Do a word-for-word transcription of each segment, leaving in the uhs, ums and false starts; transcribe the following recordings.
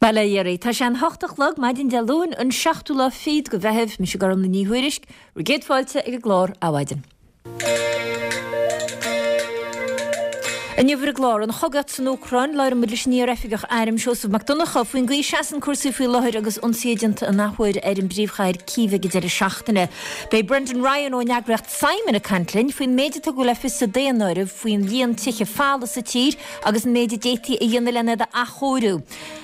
Bail ó Dhia oraibh. Tá sé an hocht a chlog, maidin Dé Luain, an seachtú lá fichead de Mheitheamh, mise Gormlaith Ní Thuairisg, bhur gcéad fáilte ag an gclár Adhmhaidin. Inniu ar an gclár, an chogaíocht san Úcráin, labhróidh muid leis an iar-oifigeach airm Seosamh Mac Donncha faoin gcaoi a seasann cúrsaí faoi láthair agus ionsaithe déanta an athuair ar an bpríomhchathair Cív ag an deireadh seachtaine. Beidh Brendan Ryan ón eagraíocht Simon ag caint linn faoin méid a tugadh le fios sa daonáireamh faoin líon tithe folamh sa tír agus an méid a d'fhéadfaí a dhéanamh lena iad a athchóiriú.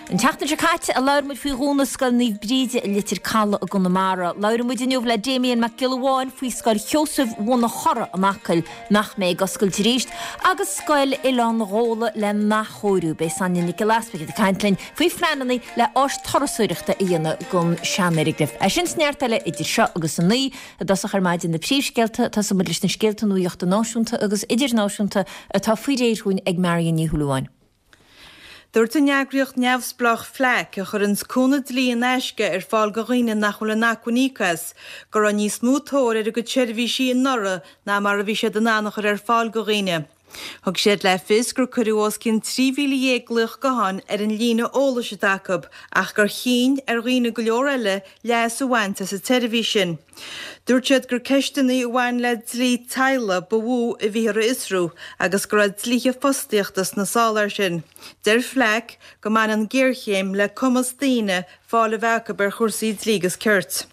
An tseachtain seo caite a labhair muid faoi dhúnadh Scoil Naomh Bríde i Leitir Caladh i gConamara. Labhróidh muid inniu le Damien Mac Giolla Bháin faoi Scoil Sheosaimh Bhun an Chora in Acaill nach mbeidh ag oscailt arís agus Scoil Oileán Ghabhla le n-athchóiriú. Beidh Sonia Nic Giolla Easpaig ag caint linn faoi phleananna le áis turasóireachta a dhéanamh den seanfhoirgneamh. É sin is neart eile idir seo agus a naoi i dtosach ar maidin na príomhscéalta. Tosóidh muid leis na scéalta nuachta náisiúnta agus idirnáisiúnta atá faoi réir dhúinn ag Marion Ní Shúilleabháin. Dúirt an eagraíocht neamhspleách FLAC, a chuireanns cúnamh dlí in aisce ar fáil do dhaoine nach bhfuil in acmhainn íoc as, go raibh níos mó tóir ar a gcuid seirbhísí anuraidh ná mar a bhí siad in ann a chur ar fáil do dhaoine. Thug siad le fios gur cuireadh os cionn trí mhíle dhéag glaoch gutháin ar an líne eolais atá acu ach gur chinn ar dhaoine go leor eile leas a bhaint as an tseirbhís sin. Dúirt siad gur ceisteanna a bhain le dlí teaghlaigh ba mhó a bhíthear a fhiosrú agus go raibh dlíthe fostaíochta sna sála air sin. Deir FLAC go mbaineann géarchéim le cumas daoine fáil a bheith acu ar chúrsaí dlí agus cirt.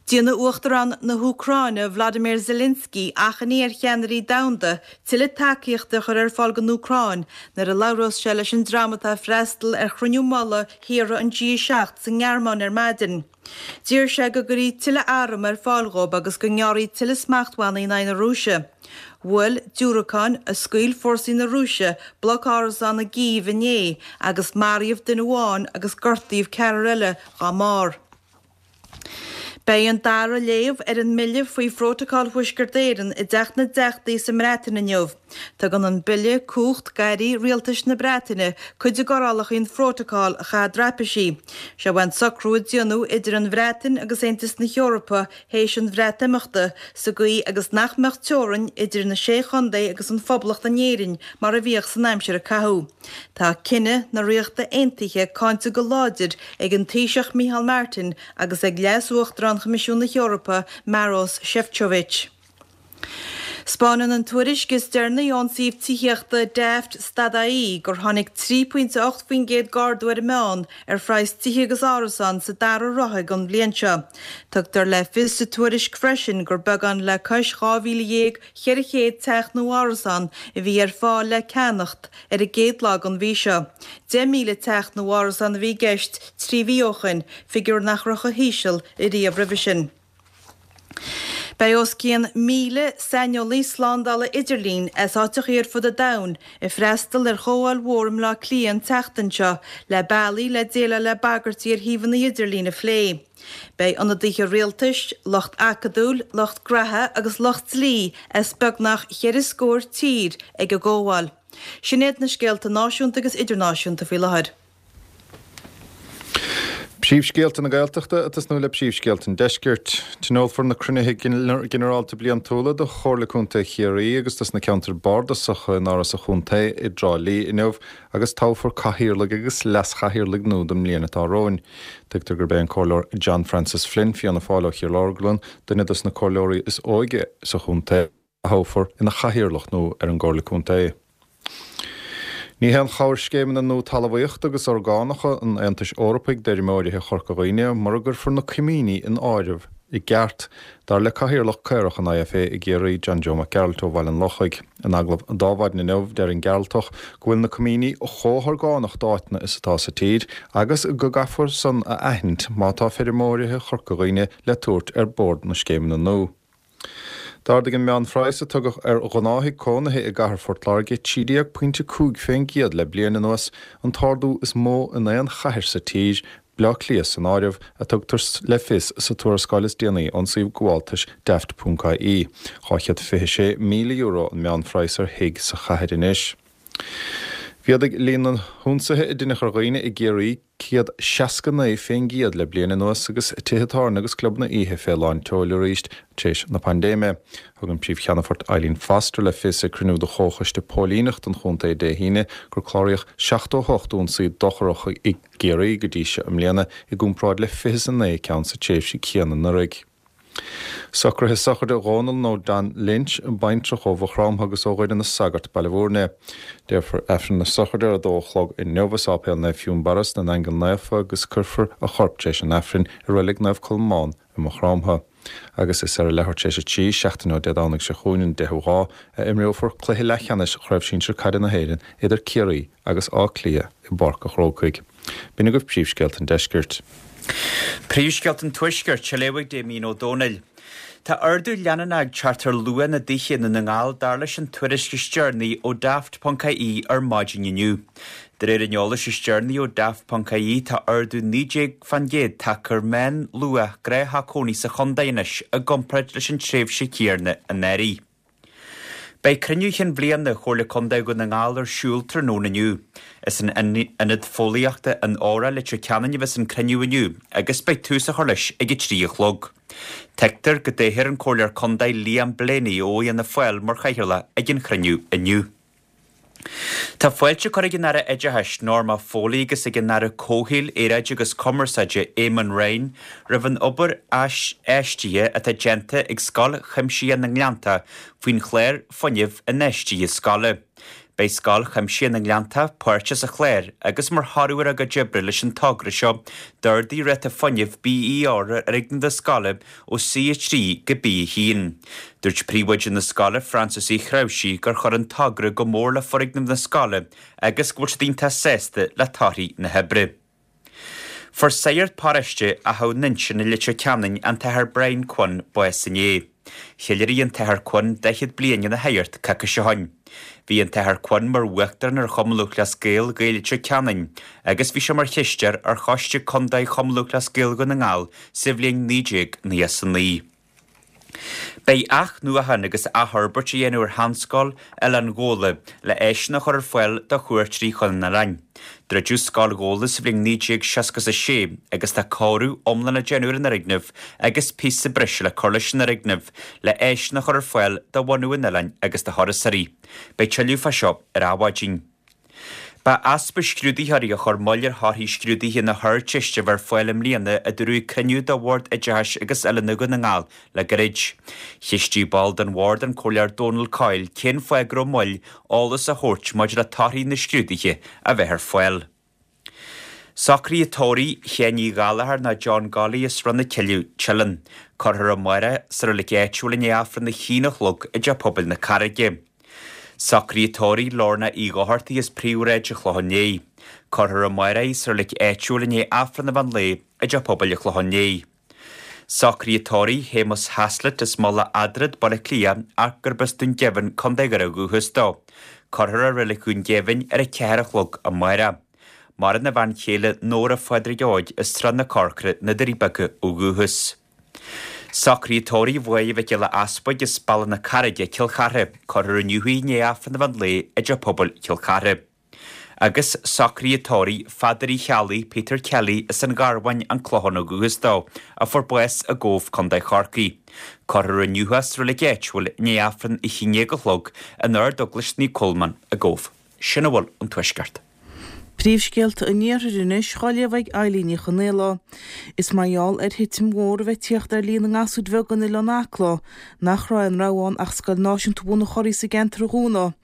Déanfaidh Uachtarán na hÚcráine Vladimir Zelensky achainí ar cheannairí domhanda tuilleadh tacaíochta a chur ar fáil don Úcráin nuair a labhrós sé leis an dream atá ag freastal ar chruinniú mullaigh thíortha an G a seacht sa nGearmáin ar maidin. D'iarr sé go gcuirfí tuilleadh arm ar fáil dhóibh agus go ngearrfaí tuilleadh smachtbhannaí in aghaidh na Rúise. Bhuail diúracáin a scaoil fórsaí na Rúise bloc árasán i gCív inné agus maraíodh duine amháin agus gortaíodh ceathrar eile dá mbarr. Beidh an dara léamh ar an mbille faoi Phrótacal Thuaisceart Éireann i dTeach na dTeachtaí sa mBreatain inniu. Tugann an bille cumhacht d'airí rialtais na Breataine cuid de d'fhorálacha an Phrótacail a chaitheamh traipisí. Seo an socrú a déanadh idir an Bhreatain agus Aontas na hEorpa théis an Bhreatimeachta, sa gcaoi agus nach mbeadh teorainn idir na Sé Chontae agus an Phoblacht in Éirinn mar a bhíodh san aimsir a caitheadh. Tá cinneadh na Ríochta Aontaithe cáinte go láidir ag an Taoiseach Micheál Martin agus ag Leas-Uachtarán Choimisiún na hEorpa Maros Sefcovic. 'Spáineann an tuairisc is deireanaí ón suíomh tithíochta Daft stad-IE gur tháinig trí pointe a hocht faoin gcéad d'ardú ar an meán ar phraghas tithe agus árasán sa dara ráithe den bhliain seo. Tugtar le fios sa tuairisc freisin gur beagán le cois dhá mhíle dhéag cheithre chéad teach nó árasán a bhí ar fáil le ceannacht ar an gcéad lá den mhí seo. Deich míle teach nó árasán a bhí i gceist trí mhí ó shoin, figiúr nach raibh chomh híseal ariamh roimhe sin. Beidh os cionn míle saineolaí slándála idirlín as áiteachaí ar fud an domhain ag freastal ar chomhdháil mhór i mBleá Cliath an tseachtain seo le bealaí le déileáil le bagairtí ar shuíomhanna idirlín a phlé. Beidh ionadaithe rialtais, lucht acadúil, lucht graithe agus lucht dlí as beagnach cheithre scór tír ag an gcomhdháil. Sin iad na scéalta náisiúnta agus idirnáisiúnta faoi láthair. Príomhscéalta na Gaeltachta ag tosnú le príomhscéalta an Deiscirt. Tionólfar na cruinnithe ginearálta bliantúla do Chomhairle Contae Chiarraí agus dos na ceantair bardasacha in Áras an Chontae i dTrá Lí inniu agus toghfar cathaoirligh agus leas-chathaoirligh nua don mbliain atá romhainn. Tuigtear gurb é an Comhairleoir John Francis Flynn, Fianna Fáil ó Chill Orglan, duine dos na comhairleoirí is óige sa chontae, a thoghfar ina chathaoirleach nua ar an gComhairle Contae. Ní haon chabhair scéimeanna nua talmhaíochta agus orgánacha an Aontais Eorpaigh d'fheirmeoirithe Chorca Dhuibhne mura gcuirfear na coimíní in áireamh i gceart, dar le Cathaoirleach Caorach an IFA i gCiarraí, John Joe Mac Gearailt ó Bhaile an Lochaigh. In agallamh d'Adhmhaidin inniu, deir an Gearaltach go bhfuil na coimíní chomh horgánach d'áiteanna is atá sa tír agus go gcaithfear san a aithint má tá feirmeoirithe Chorca Dhuibhne le tabhairt ar bord na scéimeanna nua. D'ardaigh an meánphraghas a tugadh ar ghnáth-thigh cónaithe i gcathair Phort Láirge trí déag pointe cúig fén gcéad le bliain anuas, an t-ardú is mó in aon chathair sa tír, Bleá Cliath san áireamh, a tugtar le fios sa tuarascáil is déanaí ón suíomh gabháltais Daft ponc ie. dhá chéad fiche sé míle euro an meánphraghas ar thigh sa chathair anois. Mhéadaigh líon na n-ionsaithe a deineadh ar dhaoine i gCiarraí céad seasca naoi fén gcéad le bliain anuas agus tithe tábhairne agus clubanna oíche fé lán tseoil arís tar éis na paindéime. Thug an Príomh-Cheannfort Eileen Foster le fios ag cruinniú de Chomhchoiste Póilíneachta an chontae Dé hAoine gur cláraíodh seachtó a hocht ionsaí dochrach i gCiarraí go dtí seo i mbliana i gcomparáid le fiche is a naoi ceann sa tréimhse chéanna anuraidh. Socruithe sochraide Dhónal nó Dan Lynch, baintreach ó Mhaigh Chromtha agus ó Dhoire na Sagart, Baile Bhúirne. Déarfar Aifreann na sochraide ar a dó a chlog inniu i Sáipéal Naomh Fionnbarra sna nAingeal Naofa agus cuirfear a chorp tar éis an Aifrinn i Reilig Naomh Colmán i Maigh Chromtha. Agus is ar a leathuair tar éis a trí, seachtain ó Dé Domhnaigh seo chugainn, an deichiú lá, a imreofar cluiche leathcheannais Chraobh Shinsir Caide na hÉireann idir Ciarraí agus Áth Cliath i bPáirc an Chrócaigh. B'in agaibh príomhscéalta an deiscirt. Príomhscéalta an Tuaiscirt, á léamh ag Damien Ó Dónaill. Tá ardú leanúnach ag teacht ar luach na dtithe i nDún na nGall dar leis an tuairisc is deireanaí ó Daft ponc ie ar maidin inniu. De réir an eolais is deireanaí ó Daft ponc ie tá ardú naoi déag fán gcéad tagtha ar mheánluach gnáth-theach cónaí sa chontae anois i gcomparáid leis an tréimhse chéanna anuraidh. Beidh cruinniú chinn bhliana Chomhairle Contae Dhún na nGall ar siúl tráthnóna inniu. Is in Ionad Fóillíochta an Óra, Leitir Ceanainn a bheas an cruinniú inniu agus beidh tús á chur leis ag a trí a chlog. Tuigtear go dtoghfar an Comhairleoir Contae Liam Blaney ó Fhianna Fáil mar chathaoirleach ag an chruinniú inniu. Tá fáilte curtha ag an Aire Oideachais, Norma Foley agus ag an Aire Comhshaoil, Aeráide agus Cumarsáide, Eamon Ryan, roimh an obair aisfheistithe atá déanta ag Scoil Chuimsitheach na nGleanntach faoin chlár fuinnimh infheistithe scoile. Beidh Scoil Chuimsitheach na nGleanntach páirteach sa chlár agus mar thoradh ar a gcuid oibre leis an togra seo d'ardaigh ráta fuinnimh BER ar fhoirgneamh na scoile ó C a trí go B a haon. Dúirt príomhoide na scoile, Frances Uí Chreabhsí, gur chuir an togra go mór le foirgneamh na scoile agus go bhfuil siad iontach sásta le torthaí na hoibre. Fuair sagart paróiste Achadh Nuinseann i Leitir Ceanainn, an tAthair Brian Quinn, bás inné. Cheiliúraigh an tAthair Quinn daichead bliain ina shagart coicís ó shin. Bhí an tAthair Quinn mar Uachtarán ar Chumann Lúthchleas Gael, Gaeil Leitir Ceanainn, agus bhí sé mar chisteoir ar Choiste Contae Chumann Lúthchleas Gael Dhún na nGall sa bhliain naoi déag nócha is a naoi. Beidh athnuachan agus athfhorbairt á dhéanamh ar Sheanscoil Oileán Ghabhla le áiseanna a chur ar fáil do chuairteoirí chun an oileáin. Druideadh Scoil Ghabhla sa bhliain naoi déag seasca a sé agus tá cóiriú iomlán á déanamh ar an fhoirgneamh agus píosa breise le cur leis an fhoirgneamh le áiseanna a chur ar fáil do bhunadh an oileáin agus do thurasóirí. Beidh tuilleadh fá seo ar Adhmhaidin. Ba easpa scrúdaitheoirí a chuir moill ar thorthaí scrúduithe na hArdteiste a bheith ar fáil i mbliana, a dúradh ag cruinniú de Bhord Oideachais agus Oiliúna Dhún na nGall le gairid. Cheistigh ball den bhord, an Comhairleoir Dónal Coyle, cén fáth go raibh moill eolas a thabhairt maidir le torthaí na scrúduithe a bheith ar fáil. Socruithe tórraimh Sheáin Uí Ghallchóir nó John Golly as Srath na Cille, Teileann. Cuirfear amárach sa reilig áitiúil i ndiaidh Aifreann a haon a chlog i dTeach Pobail na Carraige. Socruithe tórraimh Lorna Uí Dhochartaigh as Príomhshráid an Chlocháin Léith. Cuirfear amárach í sa reilig áitiúil i ndiaidh Aifreann an mheán lae i dTeach Pobail an Chlocháin Léith. Socruithe tórraimh Shéamus Haslett as Mullach Eadrad, Baile Átha Cliath, ach gurb as Dún Geimhin, Contae Dhoire ó dhúchas dó. Cuirfear i Reilig Dhún Geimhin ar a ceathair a chlog amárach. Maireann a bhean chéile Nóra Phádraig Óig as Srath na Corcra, na Doirí Beaga ó dhúchas. Socruithe tórraimh Mháire Mhic Giolla Easpaig as Bealach na Carraige, Cill Chartha, cuirfear inniu í i ndiaidh Aifreann an mheán lae i dTeach Pobail Chill Chartha. Agus socruithe tórraimh Pheadair Uí Cheallaigh, Peter Kelly, as an Gharbháin, An Clochán ó dhúchas dó, a fuair bás i gCóbh, Contae Chorcaí. Cuirfear inniu é sa reilig áitiúil i ndiaidh Aifreann a haon déag a chlog in Ardeaglais Naomh Colmán i gCóbh. Sin a bhfuil ón Tuaisceart. Príomhscéalta an Iarthair anois dhá léamh ag Eilín Ní Chonaola. Is mar gheall ar thitim mhór a bheith tíocht ar líon na ngasúr bheag in Oileán Acla nach raibh aon rogha ann ach Scoil Náisiúnta Bhun an Churraigh sa gceantar a dhúnadh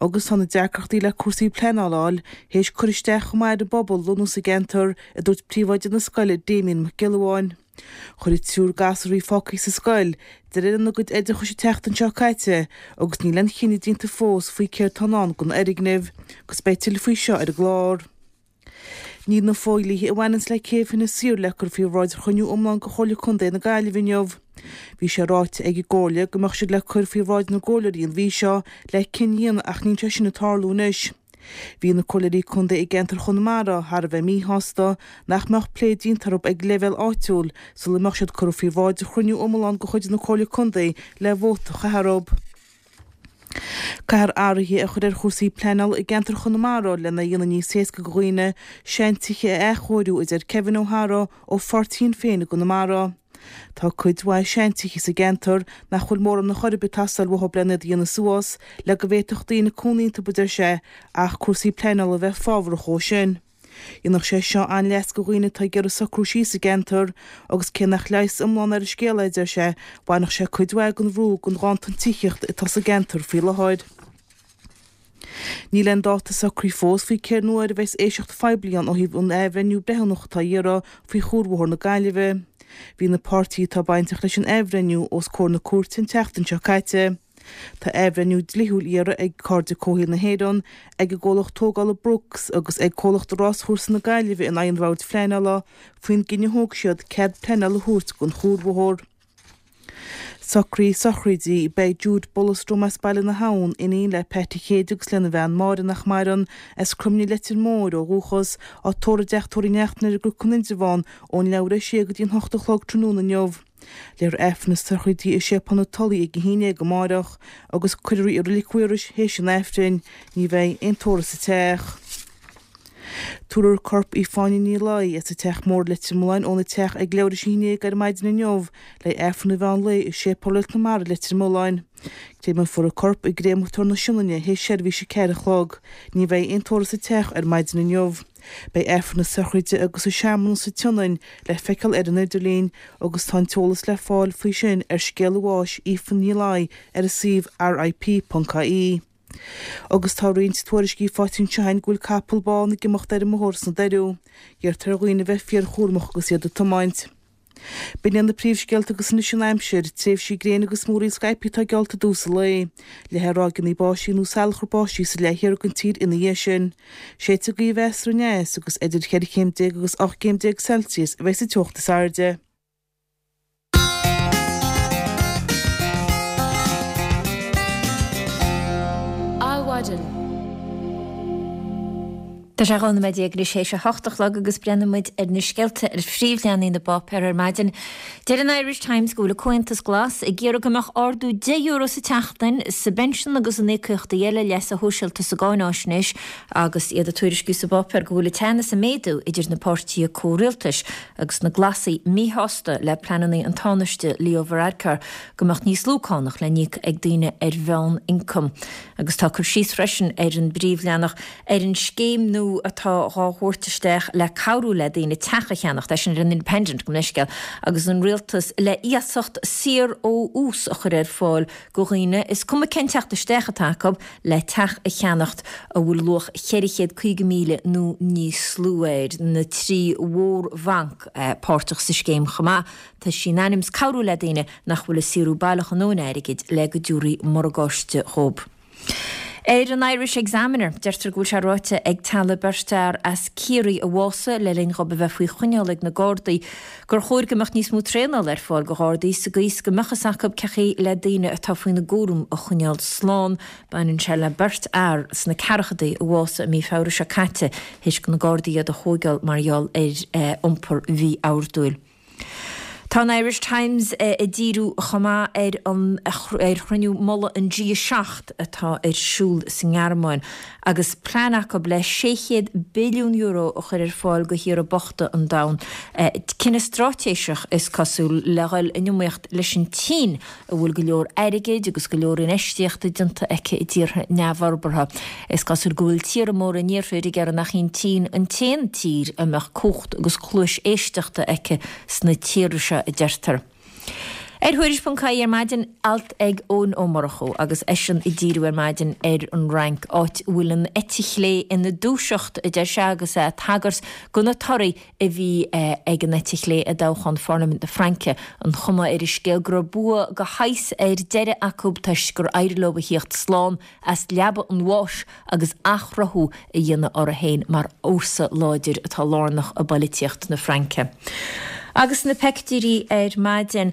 agus tá na deacrachtaí le cúrsaí pleanála a fháil théis cur isteach chomh maith ar an bpobal lonnú sa gceantar, a dúirt príomhoide na scoile Damien Mac Giolla Bháin. Chuir an triúr gasúr a bhí fágtha sa scoil deireadh lena gcuid oideachais an tseachtain seo caite agus níl aon chinneadh déanta fós faoi céard atá i ndán don fhoirgneamh agus beidh tuilleadh faoi seo ar an gclár. Níl na fodhlíthe a bhaineanns le céibh Thine Saor le cur faoi bhráid chruinniú iomlán de Chomhairle Contae na Gaillimhe inniu. Bhí sé ráite ag an gComhairle go mbeadh siad le cur faoi bhráid na gcomhairleoirí an mhí seo le cinneadh a dhéanamh ach níl sé sin ag tarlú anois. Bhí na comhairleoirí contae i gceantar Chonamara thar a bheith míshásta nach mbeadh plé déanta orthu ag leibhéal áitiúil sula mbeadh siad curtha faoi bhráid chruinniú iomlán de chuid na Comhairle Contae le vóta a chaitheamh orthu. Caithfear athruithe a chur ar chúrsaí pleanála i gceantar Chonamara lena dhéanamh níos éasca do dhaoine seantithe a athchóiriú, a deir Kevin O'Hara ó pháirtí Shinn Féin i gConamara. Tá cuid mhaith seantithe sa gceantar nach bhfuil mórán ar chor ar bith ag teastáil uathu lena iad a dhéanamh suas le go bhféadfadh daoine cónaí iontu, a deir sé, ach cúrsaí pleanála a bheith fábharach dhó sin. Dhéanfadh sé seo an-leas do dhaoine atá ag iarraidh socrú síos sa gceantar agus cé nach leigheas iomlán ar an scéal é, a deir sé, bhainfeadh sé cuid mhaith den bhrú den ghanntan tithíochta atá sa gceantar faoi láthair. Níl aon dáta socraithe fós faoi cén uair a bheas éisteacht phoiblí ann ó thaobh an athbhreithniú breithiúnach atá á iarraidh faoi Chuarbhóthar na Gaillimhe. Bhí na páirtithe atá bainteach leis an athbhreithniú os comhair na cúirte an tseachtain seo caite. Tá athbhreithniú dlíthiúil á iarraidh ag Cairde Comhshaoil na hÉireann, ag an gcomhlacht tógála Brooks agus ag comhlacht Ráschúrsa na Gaillimhe in aghaidh an Bhoird Phleanála faoin gcinneadh a thóg siad cead pleanála a thabhairt don chuarbhóthar. Socruithe sochraide, Beidh Jude Bulastrum as Baile na hAbhann, iníon le Pat Uí Chéide agus lena bhean Máire nach maireann, as Croimnigh Leitir Móir ó dhúchas, á tórramh i dTeach Tórraimh Uí Neachtain ar an gCnoc in Indreabhán ón leathuair théis a sé go dtí an hocht a chlog tráthnóna inniu. Léifear Aifreann na sochraide i Séipéal na Tulaí ag a haon déag amárach agus cuirfear í i Reilig Mhaorais théis an Aifrinn. Ní bheidh aon tórramh sa teach. Tabharfar corp Aoife Ní Laoi as an Teach Mór Leitir Mealláin óna teach ag leathuair théis a haon déag ar maidin inniu le Aifreann an mheán lae i Séipéal Réalt na Mara Leitir Mealláin. Créamfar an corp i gCréamatóir na Sionainne théis seirbhís a ceathair a chlog. Ní bheidh aon tórramh sa teach ar maidin inniu. Beidh Aifreann na sochraide agus an searmanas sa tSionainn le feiceáil ar an idirlíon agus tá an t-eolas le fáil faoi sin ar scéala bháis Aoife Ní Laoi ar an suíomh RIP.ie. Agus tá roinnt tuairiscí faighte anseo againn go bhfuil capall bán ag imeacht ar an mbóthar sna Doiriú. Iarrtar ar dhaoine a bheith fíorchúramach agus iad ag tiomáint. B'in iad na príomhscéalta agus anois an aimsir, tréimhsí gréine agus múraíl scaipthe atá geallta i dtús an lae. Leathfaidh ráigeanna báistí nó salachar báistí sa leath thiar den tír ina dhiaidh sin. Séidfidh gaoth mheasartha aneas agus idir cheithre chéim déag agus ocht gcéim déag Celsius a bheidh sa teocht is airde. Adhmhaidin. Tá sé dhá nóiméad déag anois théis a hocht a chlog agus breathnaíonn muid ar na scéalta ar phríomhleathanaigh na bpáipéar ar maidin. Deir an Irish Times go bhfuil an Comhaontas Glas ag iarraidh go mbeadh ardú deich euro sa tseachtain sa bpensean agus in íocaíochtaí eile leasa shóisialta sa gcáináisnéis agus iad ag tuairisciú sa bpáipéar go bhfuil an teannas ag méadú idir na páirtithe comhrialtais agus na Glasaigh míshásta le pleananna an Tánaiste Leo Varadkar go mbeadh níos lú cánach le n-íoc ag daoine ar mheán-ioncam. Agus tá cur síos freisin ar an bpríomhleathanach ar an scéim nua atá dhá thabhairt isteach le cabhrú le daoine teach a cheannacht, é sin ar an Independent, gabh mo leithscéal, agus an rialtas le iasacht saor ó ús a chur ar fáil go dhaoine, is cuma cén teacht isteach atá acu, le teach a cheannacht a bhfuil luach cheithre chéad caoga míle nó níos lú air. Na trí mhórbhanc páirteach sa scéim chomh maith. Tá sí in ainm 's cabhrú le daoine nach bhfuil ag saothrú baileach a ndóthain airgid le go dtiúrfaí morgáiste dhób. Ar an Irish Examiner, deirtear go bhfuil sé ráite ag teaghlaigh beirt fhear as Ciarraí a bhásaigh le linn dhób a bheith faoi choinneáil ag na Gardaí gur chóir go mbeadh níos mó traenála ar fáil go Ghardaí sa gcaoi is go mbeadh fhios acu cén chaoi le daoine atá faoina gcúram a choinneáil slán. Baineann sé le beirt fhear sna ceathrachaidí a bhásaigh i mí Feabhra seo caite théis go na Gardaí iad a thóigeáil mar gheall ar iompar mhí-ordúil. Tá an Irish Times ag díriú chomh maith ar an ar chruinniú mullaigh an G a seacht atá ar siúl sa nGearmáin agus plean acu le sé chéad billiún euro a chur ar fáil go thíortha bochta an domhain. Cinneadh straitéiseach is cosúil le dhul in iomaíocht leis an tSín a bhfuil go leor airgid agus go leor infheistíochta déanta aici i dtíortha neamhfhorbartha. Is cosúil go bhfuil tíortha móra an Iarthair ag iarraidh nach í an tSín an t-aon tír a mbeadh cumhacht agus cluais éisteachta aici sna tíortha seo, a deirtear. Ar Thuairisc ponc ie ar maidin, alt ag Eoin Ó Murchú agus eisean ag díriú ar maidin ar an Fhrainc, áit a bhfuil an eite chlé ina dúiseacht, a deir sé, agus é ag tagairt go na torthaí a bhí ag an eite chlé i dtoghchán Pharlaimint na Fraince, an chuma ar an scéal go raibh bua de shaghas ar deireadh acu toisc gur éirigh leo a thíocht slán as leaba an bháis agus athchruthú a dhéanamh orthu féin mar fhórsa láidir atá lárnach i bpoilitíocht na Fraince. Agus na peictiúirí ar maidin,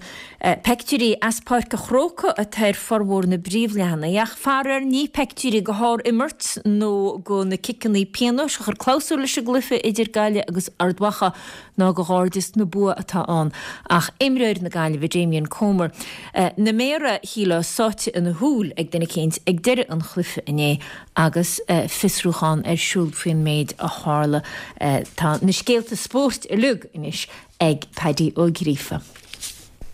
peictiúirí as Páirc an Chrócaigh atá ar formhór na bpríomhleathanaigh, ach faraor ní peictiúirí de shár-imirt nó de na ciceanna pionóis a chuir clabhsúr leis an gcluiche idir Gaillimh agus Ard Mhacha ná de ghairdeas na bua atá ann, ach imreoir na Gaillimhe Damien Comer, na méara shílfeá sáite ina shúil ag duine eicínt ag deireadh an chluiche inné agus fiosrúchán ar siúl faoin méid a tharla. Tá na scéalta spóirt uilig anois ag Paddy Ó Gríofa.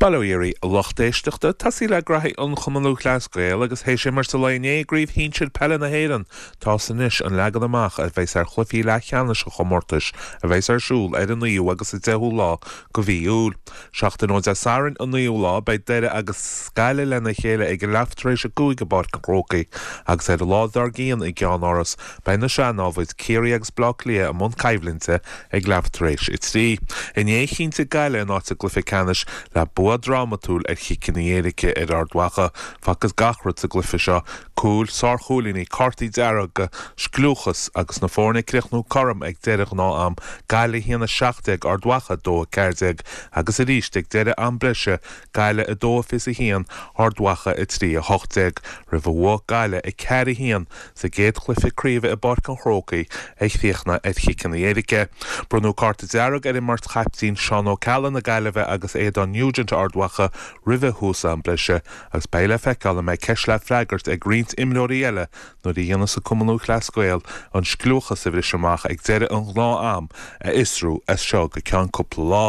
Bail ó Dhia oraibh, a lucht éisteachta, tosaí le graithí an Chumann Lúthchleas Gael agus théis imirt an lae inné i gCraobh Shinsir Peile na hÉireann, tá's anois an leagan amach a bheas ar chluichí leathcheannais an chomórtais a bheas ar siúl ar an naoú agus an deichiú lá de mhí Iúil. Seachtain ó Dé Sathairn, an naoú lá, beidh Doire agus Gaillimh lena chéile ag a leath tar éis a cúig i bPáirc an Chrócaigh agus ar an lá dár gcionn i gceannáras beidh na sean-námhaid Ciarraí agus Bleá Cliath i mbun coimhlinte ag leath tar éis a trí. Inné chinntigh Gaillimh a n-áit i gcluiche ceannais le bua drámatúil ar chiceanna éirice ar Ard Mhacha. Facthas gach rud sa gcluiche seo, cúil, sárchúilíní, cártaí dearga, scliúchas agus na foirne ag críochnú cothrom ag deireadh ghnáth-am, Gaillimh a haon a seacht déag, Ard Mhacha a dó a ceathair déag, agus arís ag deireadh am breise, Gaillimh a dó a fiche a haon, Ard Mhacha a trí a hocht déag, roimh a bhuafadh Gaillimh a ceathair a haon sa gcéad chluiche craoibhe i bPáirc an Chrócaigh a chríochnaigh ar chiceanna éirice. Bronnadh cárta dearg ar an mbeirt chaiptín Seán Ó Ceallaigh na Gaillimhe agus Aodán Nugent Ard Mhacha roimhe thús am breise agus beidh le feiceáil an mbeidh ceist le freagairt ag roinnt imreoirí eile nuair a dhéanfas an Cumann Lúthchleas Gael an scliúchas a bhris amach ag deireadh an ghnáth-am a fhiosrú as seo go ceann cúpla lá.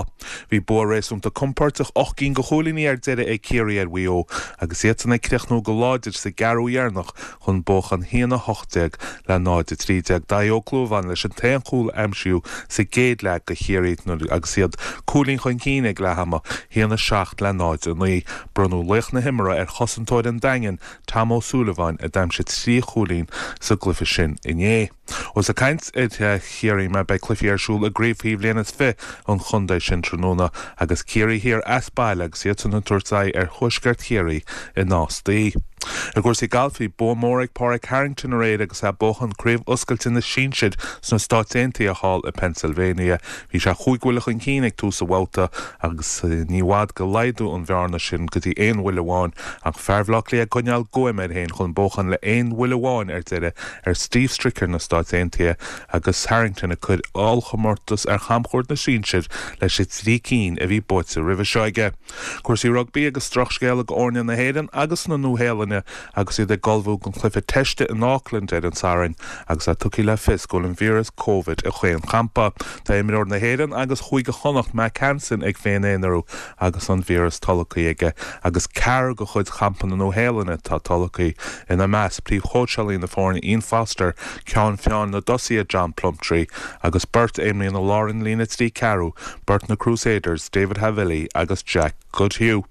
Bhí bua réasúnta compordach ocht gcinn de chúilíní ar deireadh ag Ciarraí ar Mhaigh Eo agus iadsan ag críochnú go láidir sa gceathrú dheireanach chun buachan a haon a hocht déag le náid a trí déag. Dáithí Ó Clúmháin leis an t-aon chúl a aimsíodh sa gcéad leath do Chiarraí nuair agus iad cúilín chun cinn ag leath ama, a haon a seacht le náid a naoi. Bronnadh laoch na himeartha ar chosantóir an Daingin, Tom Ó Súilleabháin, a d'aimsigh trí chúilín sa gcluiche sin inné. Ós ag caint ar Chiarraí mé, beidh cluichí ar siúl i gcraobh faoi bhliain is fiche an chontae sin tráthnóna agus Ciarraí Thiar as baile agus iadsan ag tabhairt aghaidh ar Thuaisceart Chiarraí i Nás Daoi. I gcúrsaí gailf, bhí bua mór ag Pádraig Harrington aréir agus é ag buachan Craobh Oscailte na Sinsear sna Stáit Aontaithe thall i Pennsylvania. Bhí sé chúig bhuille chun cinn ag tús an bhabhta agus ní i bhfad gur laghdú an bhearna sin go dtí aon bhuille amháin ach fear Bhaile Átha Cliath ag coinneáil guaim air féin chun buachan le aon bhuille amháin ar deireadh ar Steve Stricker na Stáit Aontaithe agus Harrington ag cur ollchomórtas ar chamchuairt na sinsear leis an trí cinn a bhí buaite roimhe seo aige. Cúrsaí rugbaí agus drochscéala do fhoirne na hÉireann agus na Nua-Shéalainne agus iad ag ullmhú don chluiche teiste in Auckland ar an Satharn agus é tugtha le fios go bhfuil an víreas Covid i chaon champa. Tá imreoir na hÉireann agus Chúige Chonnacht Mack Hansen ag féin-aonarú agus an víreas tolgtha aige agus ceathrar de chuid champa na Nua-Shéalainne atá tolgtha, ina measc príomhchóitseálaí na foirne Ian Foster, ceann feadhain na dtosaithe John Plumtree agus beirt a imríonn i lár an líne trí ceathrú, beirt na Crusaders, David Havili agus Jack Goodhue.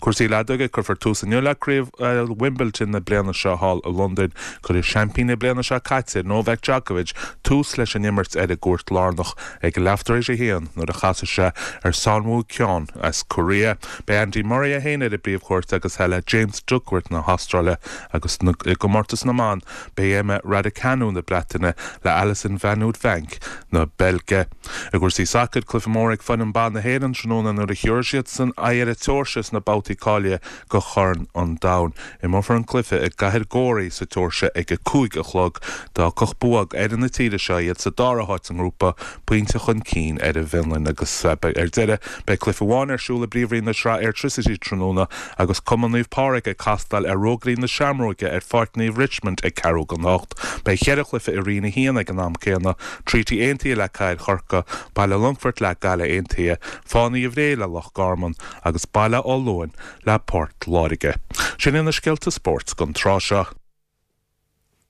Cúrsaí leadóige, Cuirfear tús inniu le Craobh Wimbledon na bliana seo thall i Londain. Cuirfidh seaimpín na bliana seo caite, Novak Djokovic, tús leis an imirt ar an gcúirt lárnach ag leath tar éis a haon nuair a chasfaidh sé ar Sang-Woo Kyun as Korea. Beidh Andy Murray é féin ar an bpríomhchúirt agus é le James Duckworth na hAstráile agus i gcomórtas na mban beidh Emma Raducanu na Breataine le Alison Van Uytvanck na Beilge. I gcúrsaí sacair, cluiche mór ag foireann ban na hÉireann tráthnóna nuair a thiúrfaidh siadsan aghaidh ar an tSeoirsia sna babhtaí cáilithe do Chorn an Domhain. Imreofar an cluiche i gcathair Gori sa tSeoirsia ag a cúig a chlog. D'fhágfadh bua ag foireann na tíre seo iad sa dara háit sa ngrúpa, pointe chun cinn ar an bhFionlainn agus ar deireadh beidh cluiche amháin ar siúl i bPríomhroinn na Sraithe Airtricity tráthnóna agus Cumann Naomh Pádraig ag castáil ar Rógairí na Seamróige ar Pháirc Naomh Richmond ag ceathrú don hocht. Beidh ceithre chluiche i Roinn a haon ag an am céanna, Treaty Aontaithe le Cathair Chorcaí, Baile Longfoirt le Gaillimh Aontaithe, Fánaithe Bhré le Loch Garman agus Baile Átha Luain le Port Láirge. Sin iad na scéalta spóirt don tráth seo.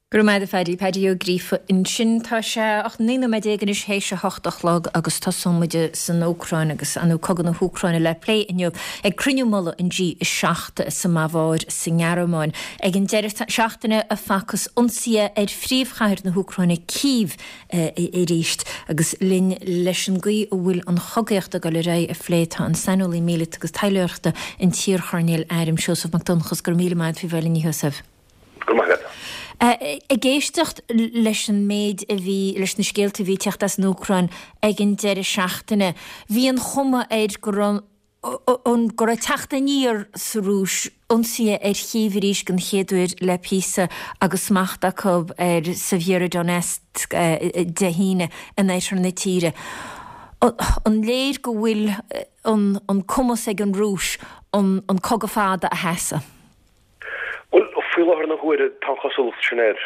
Go raibh maith agat a Phaddy, Paddy Ó Gríofa ansin. Tá sé ocht naoi nóiméad déag anois théis a hocht a chlog agus tosóidh muid san Úcráin agus ar ndóigh cogadh na hÚcráine le plé inniu ag cruinniú mullaigh an G a seacht sa mBaváir sa nGearmáin. Ag an deireadh seachtaine a facthas ionsaithe ar phríomhchathair na hÚcráine, Cív, arís agus linn leis an gcaoi a bhfuil an chogaíocht ag dul ar aghaidh a phlé tá an saineolaí míleata agus taidhleoireachta, an t-iarchoirnéal airm Seosamh Mac Donnchadha. Go raibh míle maith agat faoi bheith linn, a Sheosaimh. Go raibh maith agat. Ag éisteacht leis an méid a bhí, leis na scéalta a bhí ag teacht as an Úcráin ag an deireadh seachtaine, bhí an chuma air go raibh an, go raibh teacht aniar sa Rúis, ionsaithe ar Chív arís den chéad uair le píosa agus smacht acu ar Sievierodonetsk Dé hAoine in oirthear na tíre. An léir go bhfuil an cumas ag an Rúis an cogadh fada a sheasamh? Bhuel, faoi láthair na huaire, tá an chosúlacht sin air.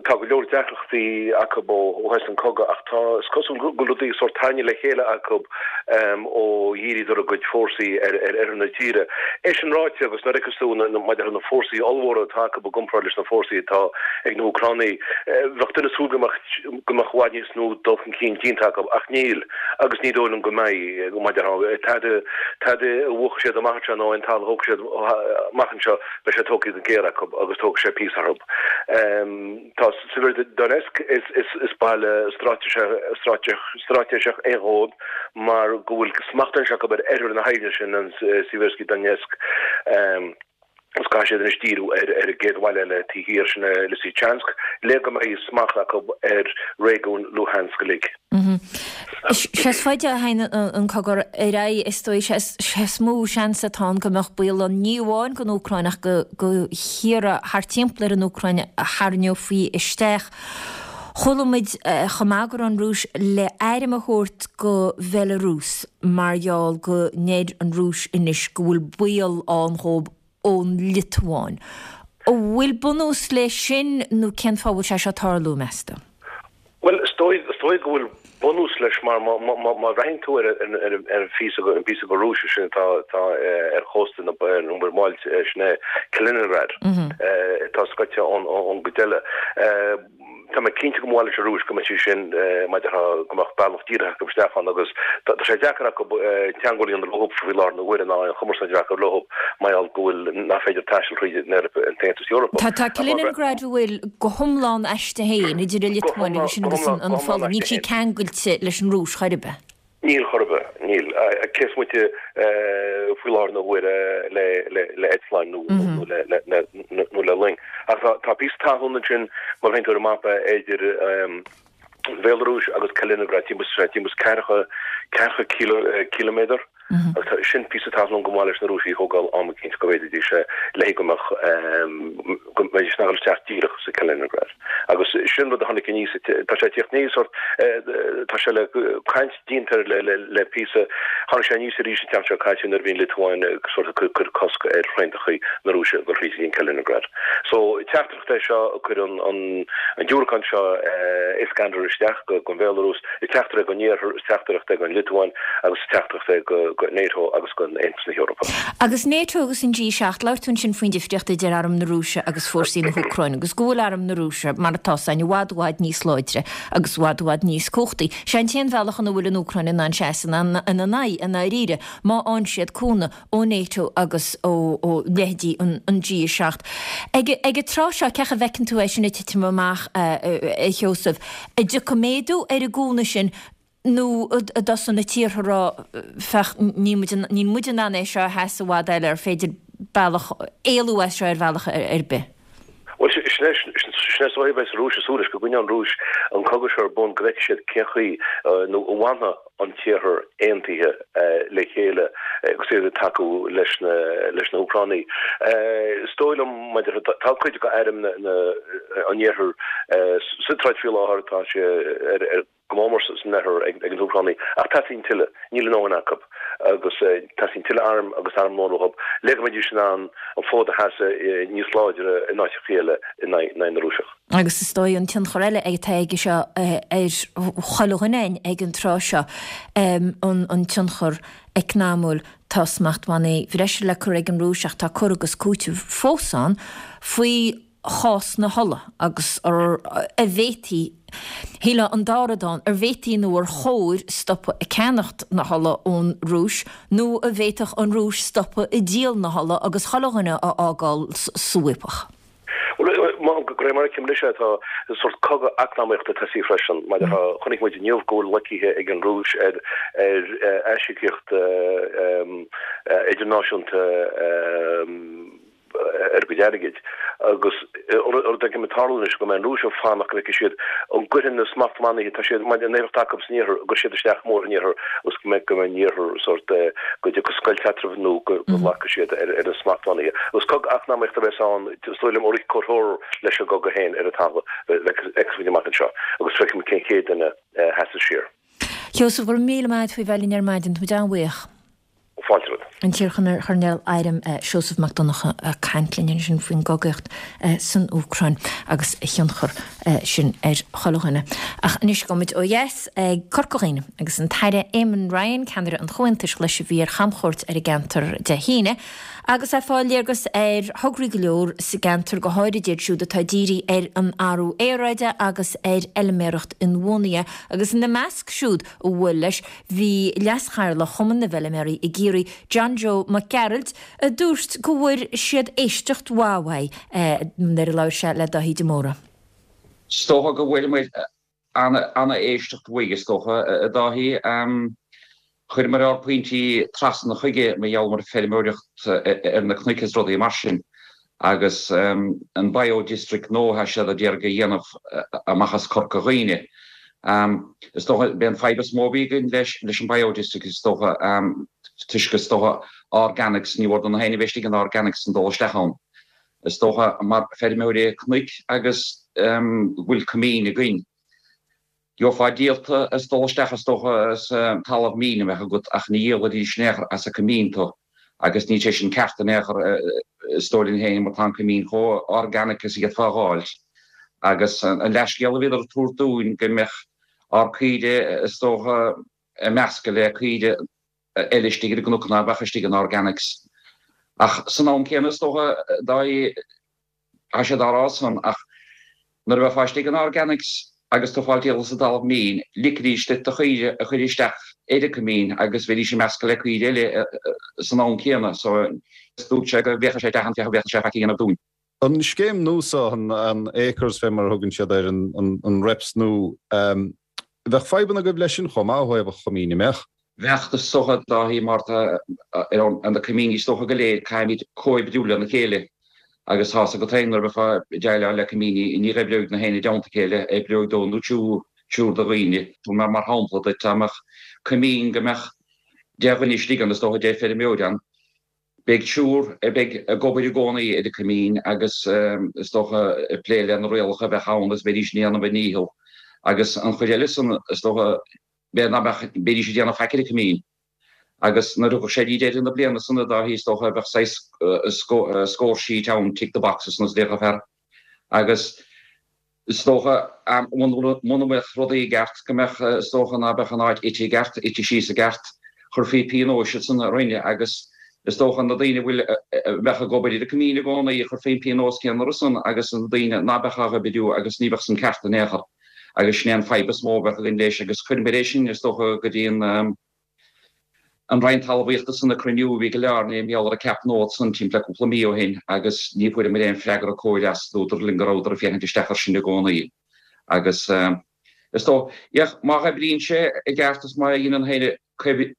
Tá go leor deacrachtaí acu ó thosaigh an cogadh ach tá, is cosúil go bhfuil rudaí sórt tarraingthe le chéile acu ó dhíríodar a gcuid fórsaí ar oirthear na tíre. É sin ráite, agus nuair a fheiceas tú maidir le na fórsaí ollmhóra atá acu i gcomparáid leis na fórsaí atá ag na hÚcránaigh, bheadh duine ag súil go mbeadh go mbeadh i bhfad níos mó dul chun cinn déanta acu ach níl agus ní dóigh liom go mbeidh. Maidir le tada, tada a bhuafadh siad amach anseo nó aon talamh a thógfaidh siad amach anseo, beidh sé tógtha go géar acu agus tógfaidh sé píosa orthu. Tá Severodonetsk, is baile straitéiseach é dhóibh mar go bhfuil smacht anois acu ar oirthear na haibhne sin, an Siversky Donetsk, agus caithfidh siad anois díriú ar an gcéad bhaile eile taobh thiar, sin Lysychansk, le go mbeidh smacht acu ar réigiún Luhansk uilig. Sé is faide a théann an cogadh ar aghaidh, is dóigh, sé is mó seans atá ann go mbeadh baol ann ní amháin don Úcráin ach do thíortha thart timpeall ar an Úcráin a tharraingeofaí isteach. Chuala muid chomh maith go raibh an Rúis le airm a thabhairt go Bhelarúis mar gheall go ndeir an Rúis anois go bhfuil baol ann dhóibh ón Liotuáin. An bhfuil bunús leis sin nó cén fáth a bhfuil sé seo ag tarlú, meas tú? Bhuel, is dóigh, is dóigh go bhfuil bunús leis mar má, má, má, má bhreathnaíonn tú ar, ar, ar, ar an phíosa, an píosa de Rúis sin atá, atá ar chósta na, ar an Mhuir Bhailt, sin é Kaliningrad, atá scoite ón, ón gcuid eile. Tá mé cinnte go mba mhaith leis an Rúis go mbeadh sé sin, maidir le, go mbeadh bealach díreach acu isteach ann agus tá sé deacair acu teagmháil a dhéanamh leo faoi láthair na huaire ná aon chumarsáid a bheith acu leo mar gheall go bhfuil, nach féidir taisteal thríd an Eoraip, an tAontas Eorpach. Tá, tá Kaliningrad an bhfuil go hiomlán aisti féin idir an Liotuáin agus sin agus an Pholainn. Níl sí ceangailte leis an Rúis chor ar bith. Níl chor ar bith, níl. Cé is moite faoi láthair na huaire le eitleáin nó nó le loing. Ach tá píosa talún ansin, má bhreathnaíonn tú ar an mapa, idir an Bhéalarúis agus Kaliningrad, timpeall timpeall is ceathracha ceathracha ciliméadar. Agus tá sin píosa talún go mba mhaith leis na Rúisigh a thógáil am eicínt go bhféadfaidís é le go mbeadh go mbeidís in ann dul isteach díreach sa Kaliningrad. Agus sin rud a tháinig aníos, tá sé ag tíocht aníos sórt, tá sé le caint déanta air le píosa. Tháinig sé aníos arís an tseachtain seo caite nuair a bhí an Liotuáin ag sórt ag cur cosc ar thraenacha na Rúise ag dul thríd an Kaliningrad. So, teachtaireacht é seo a cuireann an diúracán seo Iskander isteach go an Bhéalarúis, is teachtaireacht é don Iarthar, is teachtaireacht é don Liotuáin agus is teachtaireacht é go NATO agus go Aontas na hEorpa. Agus NATO agus an G seacht, labhair tú ansin faoin difríocht idir arm na Rúise agus fórsaí na hÚcráine agus go bhfuil arm na Rúise, mar atá a fhios againn, i bhfad i bhfad níos láidre agus i bhfad i bhfad níos cumhachtaí. Sé an t-aon bhealach ina bhfuil an Úcráin in ann seasamh ina n-aghaidh i ndáiríre, má fhaigheann siad cúnamh ó NATO agus ó leithéidí an G a seacht. Ag an tráth seo, cén chaoi a bhfeiceann tú é sin ag titim amach, a Sheosaimh? An dtiocfaidh méadú ar an gcúnamh sin nó an dtosóidh na tíortha a rá, féach, níl muid in ann é seo a sheasamh i bhfad eile, ar féidir bealach, éalú as seo ar bhealach ar bith? Bhuel, sin é sin é is dóigh a bheidh sa Rúis ag súil leis, go gcoinneoidh an Rúis an cogadh seo ar bun, go bhfeicfidh siad cén chaoi nó an bhfanfaidh an tIarthar aontaithe le chéile agus iad ag tacú leis na leis na hÚcránaigh. Is dóigh liom, maidir tá cuid de airm na an Iarthair sa troid faoi láthair, tá sé ar ar go mór mór san oirthear ag na hÚcránaigh, ach teastaíonn tuilleadh, níl a ndóthain acu agus teastaíonn tuilleadh arm agus armlóin uathu le go mbeidís in ann an fód a sheasamh níos láidre in áiteacha eile in aghaidh na Rúiseach. Agus is dóigh an tionchar eile atá aige seo ar chuile dhuine ag an tráth seo, an tionchar eacnamúil. Tá smachtbhannaí bhreise le cur ag an Rúis ach tá cur agus cúiteamh fós ann faoi chás na hola agus ar an bhféadfaí, shílfeá an dá rud ann, an bhféadfaí nó ar chóir stopadh ag ceannacht na hola ón Rúis nó an bhféadfadh an Rúis stopadh ag díol na hola agus chuile dhuine a fhágáil sa bhfaopach. Bhuel, de réir mar a fheicim anois é, tá sórt cogadh eacnamaíochta tosaithe freisin. Mar a chonaic muid inniu go bhfuil loicithe ag an Rúis ar aisíocaíocht idirnáisiúnta, ar a gcuid airgid. Agus rud éigin ag tarlú anois go mbeidh an Rúis ag fanacht go bhfeicfidh siad an gcuirfidh na smachtbhannaí, tá siad, maidir an éifeacht acu san iarthar, go gcuirfidh siad isteach mór an iarthar agus go mbeidh go mbeidh an iarthar sórt go dtiocfaidh scoilt eatarthu nó go nglacfaidh siad ar ar na smachtbhannaí. Agus cogadh eacnamaíochta a bheas ann, is dóigh liom, ó comhthreomhar leis an gcogadh féin ar an talamh, feicfidh muid amach anseo agus feicfidh muid cén chéad duine a sheasas siar. Sheosamh, go raibh míle maith agat faoi bheith linn ar maidin, tá muid an-bhuíoch. Fáilte romhat. An t-iarchoirnéal airm Seosamh Mac Donncha ag caint linn ansin faoin gcogaíocht san Úcráin agus a thionchar sin ar chuile dhuine. Ach anois gabhfaidh muid ó dheas ag Corca Dhuibhne agus an tAire Eamon Ryan, ceannaire an Chomhaontais Ghlais a bhí ar chamchuairt ar an gceantar Dé hAoine agus ag fáil léargas ar thograí go leor sa gceantar, go háirid iad siúd atá dírithe ar an athrú aeráide agus ar fheilméaracht inbhuanaithe agus ina measc siúd a bhuail leis bhí Leas-Chathaoirleach Chumann na bhFeilméaraí i gCiarraí, John Joe Mac Gearailt, a dúirt go bhfuair siad éisteacht mhaith uaidh nuair a labhair sé le Dáithí de Mórdha. Is dócha go bhfuair muid ana-éisteacht uaidh, is dócha, a Dháithí. Chuireamar ár bpointí trasna chuige mar gheall ar feirmeoireacht ar na cnoic is rudaí mar sin agus an Bio-District nua atá siad a d'iarraidh a dhéanamh amach as Corca Dhuibhne. Is dócha, b'é an fadhb is mó a bhí againn leis leis an Bio-District is dócha toisc is dócha organics, ní mhór do na héinne a bheith istigh in organics an dul isteach ann. Is dócha mar feirmeoirí cnoic agus go bhfuil coimín againn. Gheofá díolta as dul isteach is dócha as talamh mín a bheadh agat ach ní dhíolfaidís in aon chor as an coimín tú agus níl sé sin ceart in aon chor is dóigh linn féin mar tá an coimín chomh organic is a d'fhéadfá a dh'fháilt agus an leathscéal a bhíodar ag tabhairt dúinn go mbeadh ár caoire is dócha ag meascadh le caoire eile istigh ar an gcnoc ná beadh istigh in organics ach san am céanna is dócha dá Tá siad á rá san, ach nuair a bheifeá istigh in organics agus tú ag fáil díolta sa dtalamh mín, ligfidís duit do chaoire a chur isteach ar an coimín agus bheidís ag meascadh le caoire eile san am céanna. So, dúirt sé go bhféachadh sé isteach ann, féach an bhféadfadh sé faic a dhéanamh dúinn. An scéim nua seo, an Acres fé mar a thugann siad air, an REPS nua, bheadh fadhbanna agaibh leis sin chomh maith ó thaobh an choimín, an mbeadh? Bheadh is dócha Dáithí mar tá ar na coimíní is dócha go léir caithfimid comhoibriú lena chéile agus tá's agat féin nuair a bheifeá ag déileáil le coimíní ní oibreoidh na héinne i dteannta a chéile, oibreoidh dó nó triúr triúr de dhaoine. Mar mar shampla duit dá mbeadh coimín go mbeadh deich dhuine istigh ann is dócha deich feirmeoir ann beidh triúr a bheidh ag obair i gcónaí ar an coimín agus is dócha ag plé le na rialacha a bheadh ann agus bheidís ag déanamh a ndícheall agus an chuid eile san is dócha b'fhéidir ná beadh, bheidís ag déanamh faic ar an coimín. Agus nuair a thiocfadh sé dtí deireadh na bliana san a Dáithí is dócha bheadh saghas score sheet ann, tick the boxes nó déarfadh fear. Agus is dócha muna mbeadh rudaí i gceart go mbeadh, is dócha ná beadh an áit ite i gceart, ite síos i gceart, chuirfí pionóis ansan ar dhaoine agus is dócha na daoine a bhfuil, a bheadh ag obair ar an coimín i gcónaí, chuirfí an pionós céanna orthu san agus na daoine ná beadh á oibriú agus ní bheadh san ceart in aon chor. Agus sin é an fadhb is mó a bheadh againn leis agus chuireamar é sin is dócha go dtí an an Roinn Talmhaíochta san ag cruinniú a bhí i gCill Airne i ngeall ar an gceap nua san timpeall le cúpla mí ó shin agus ní fuaireamar aon freagra cóir as, dúradar linn go rabhadar ag féachaint isteach air sin i gcónaí agus is dóigh, má oibríonn sé i gceart is má dhéanann féin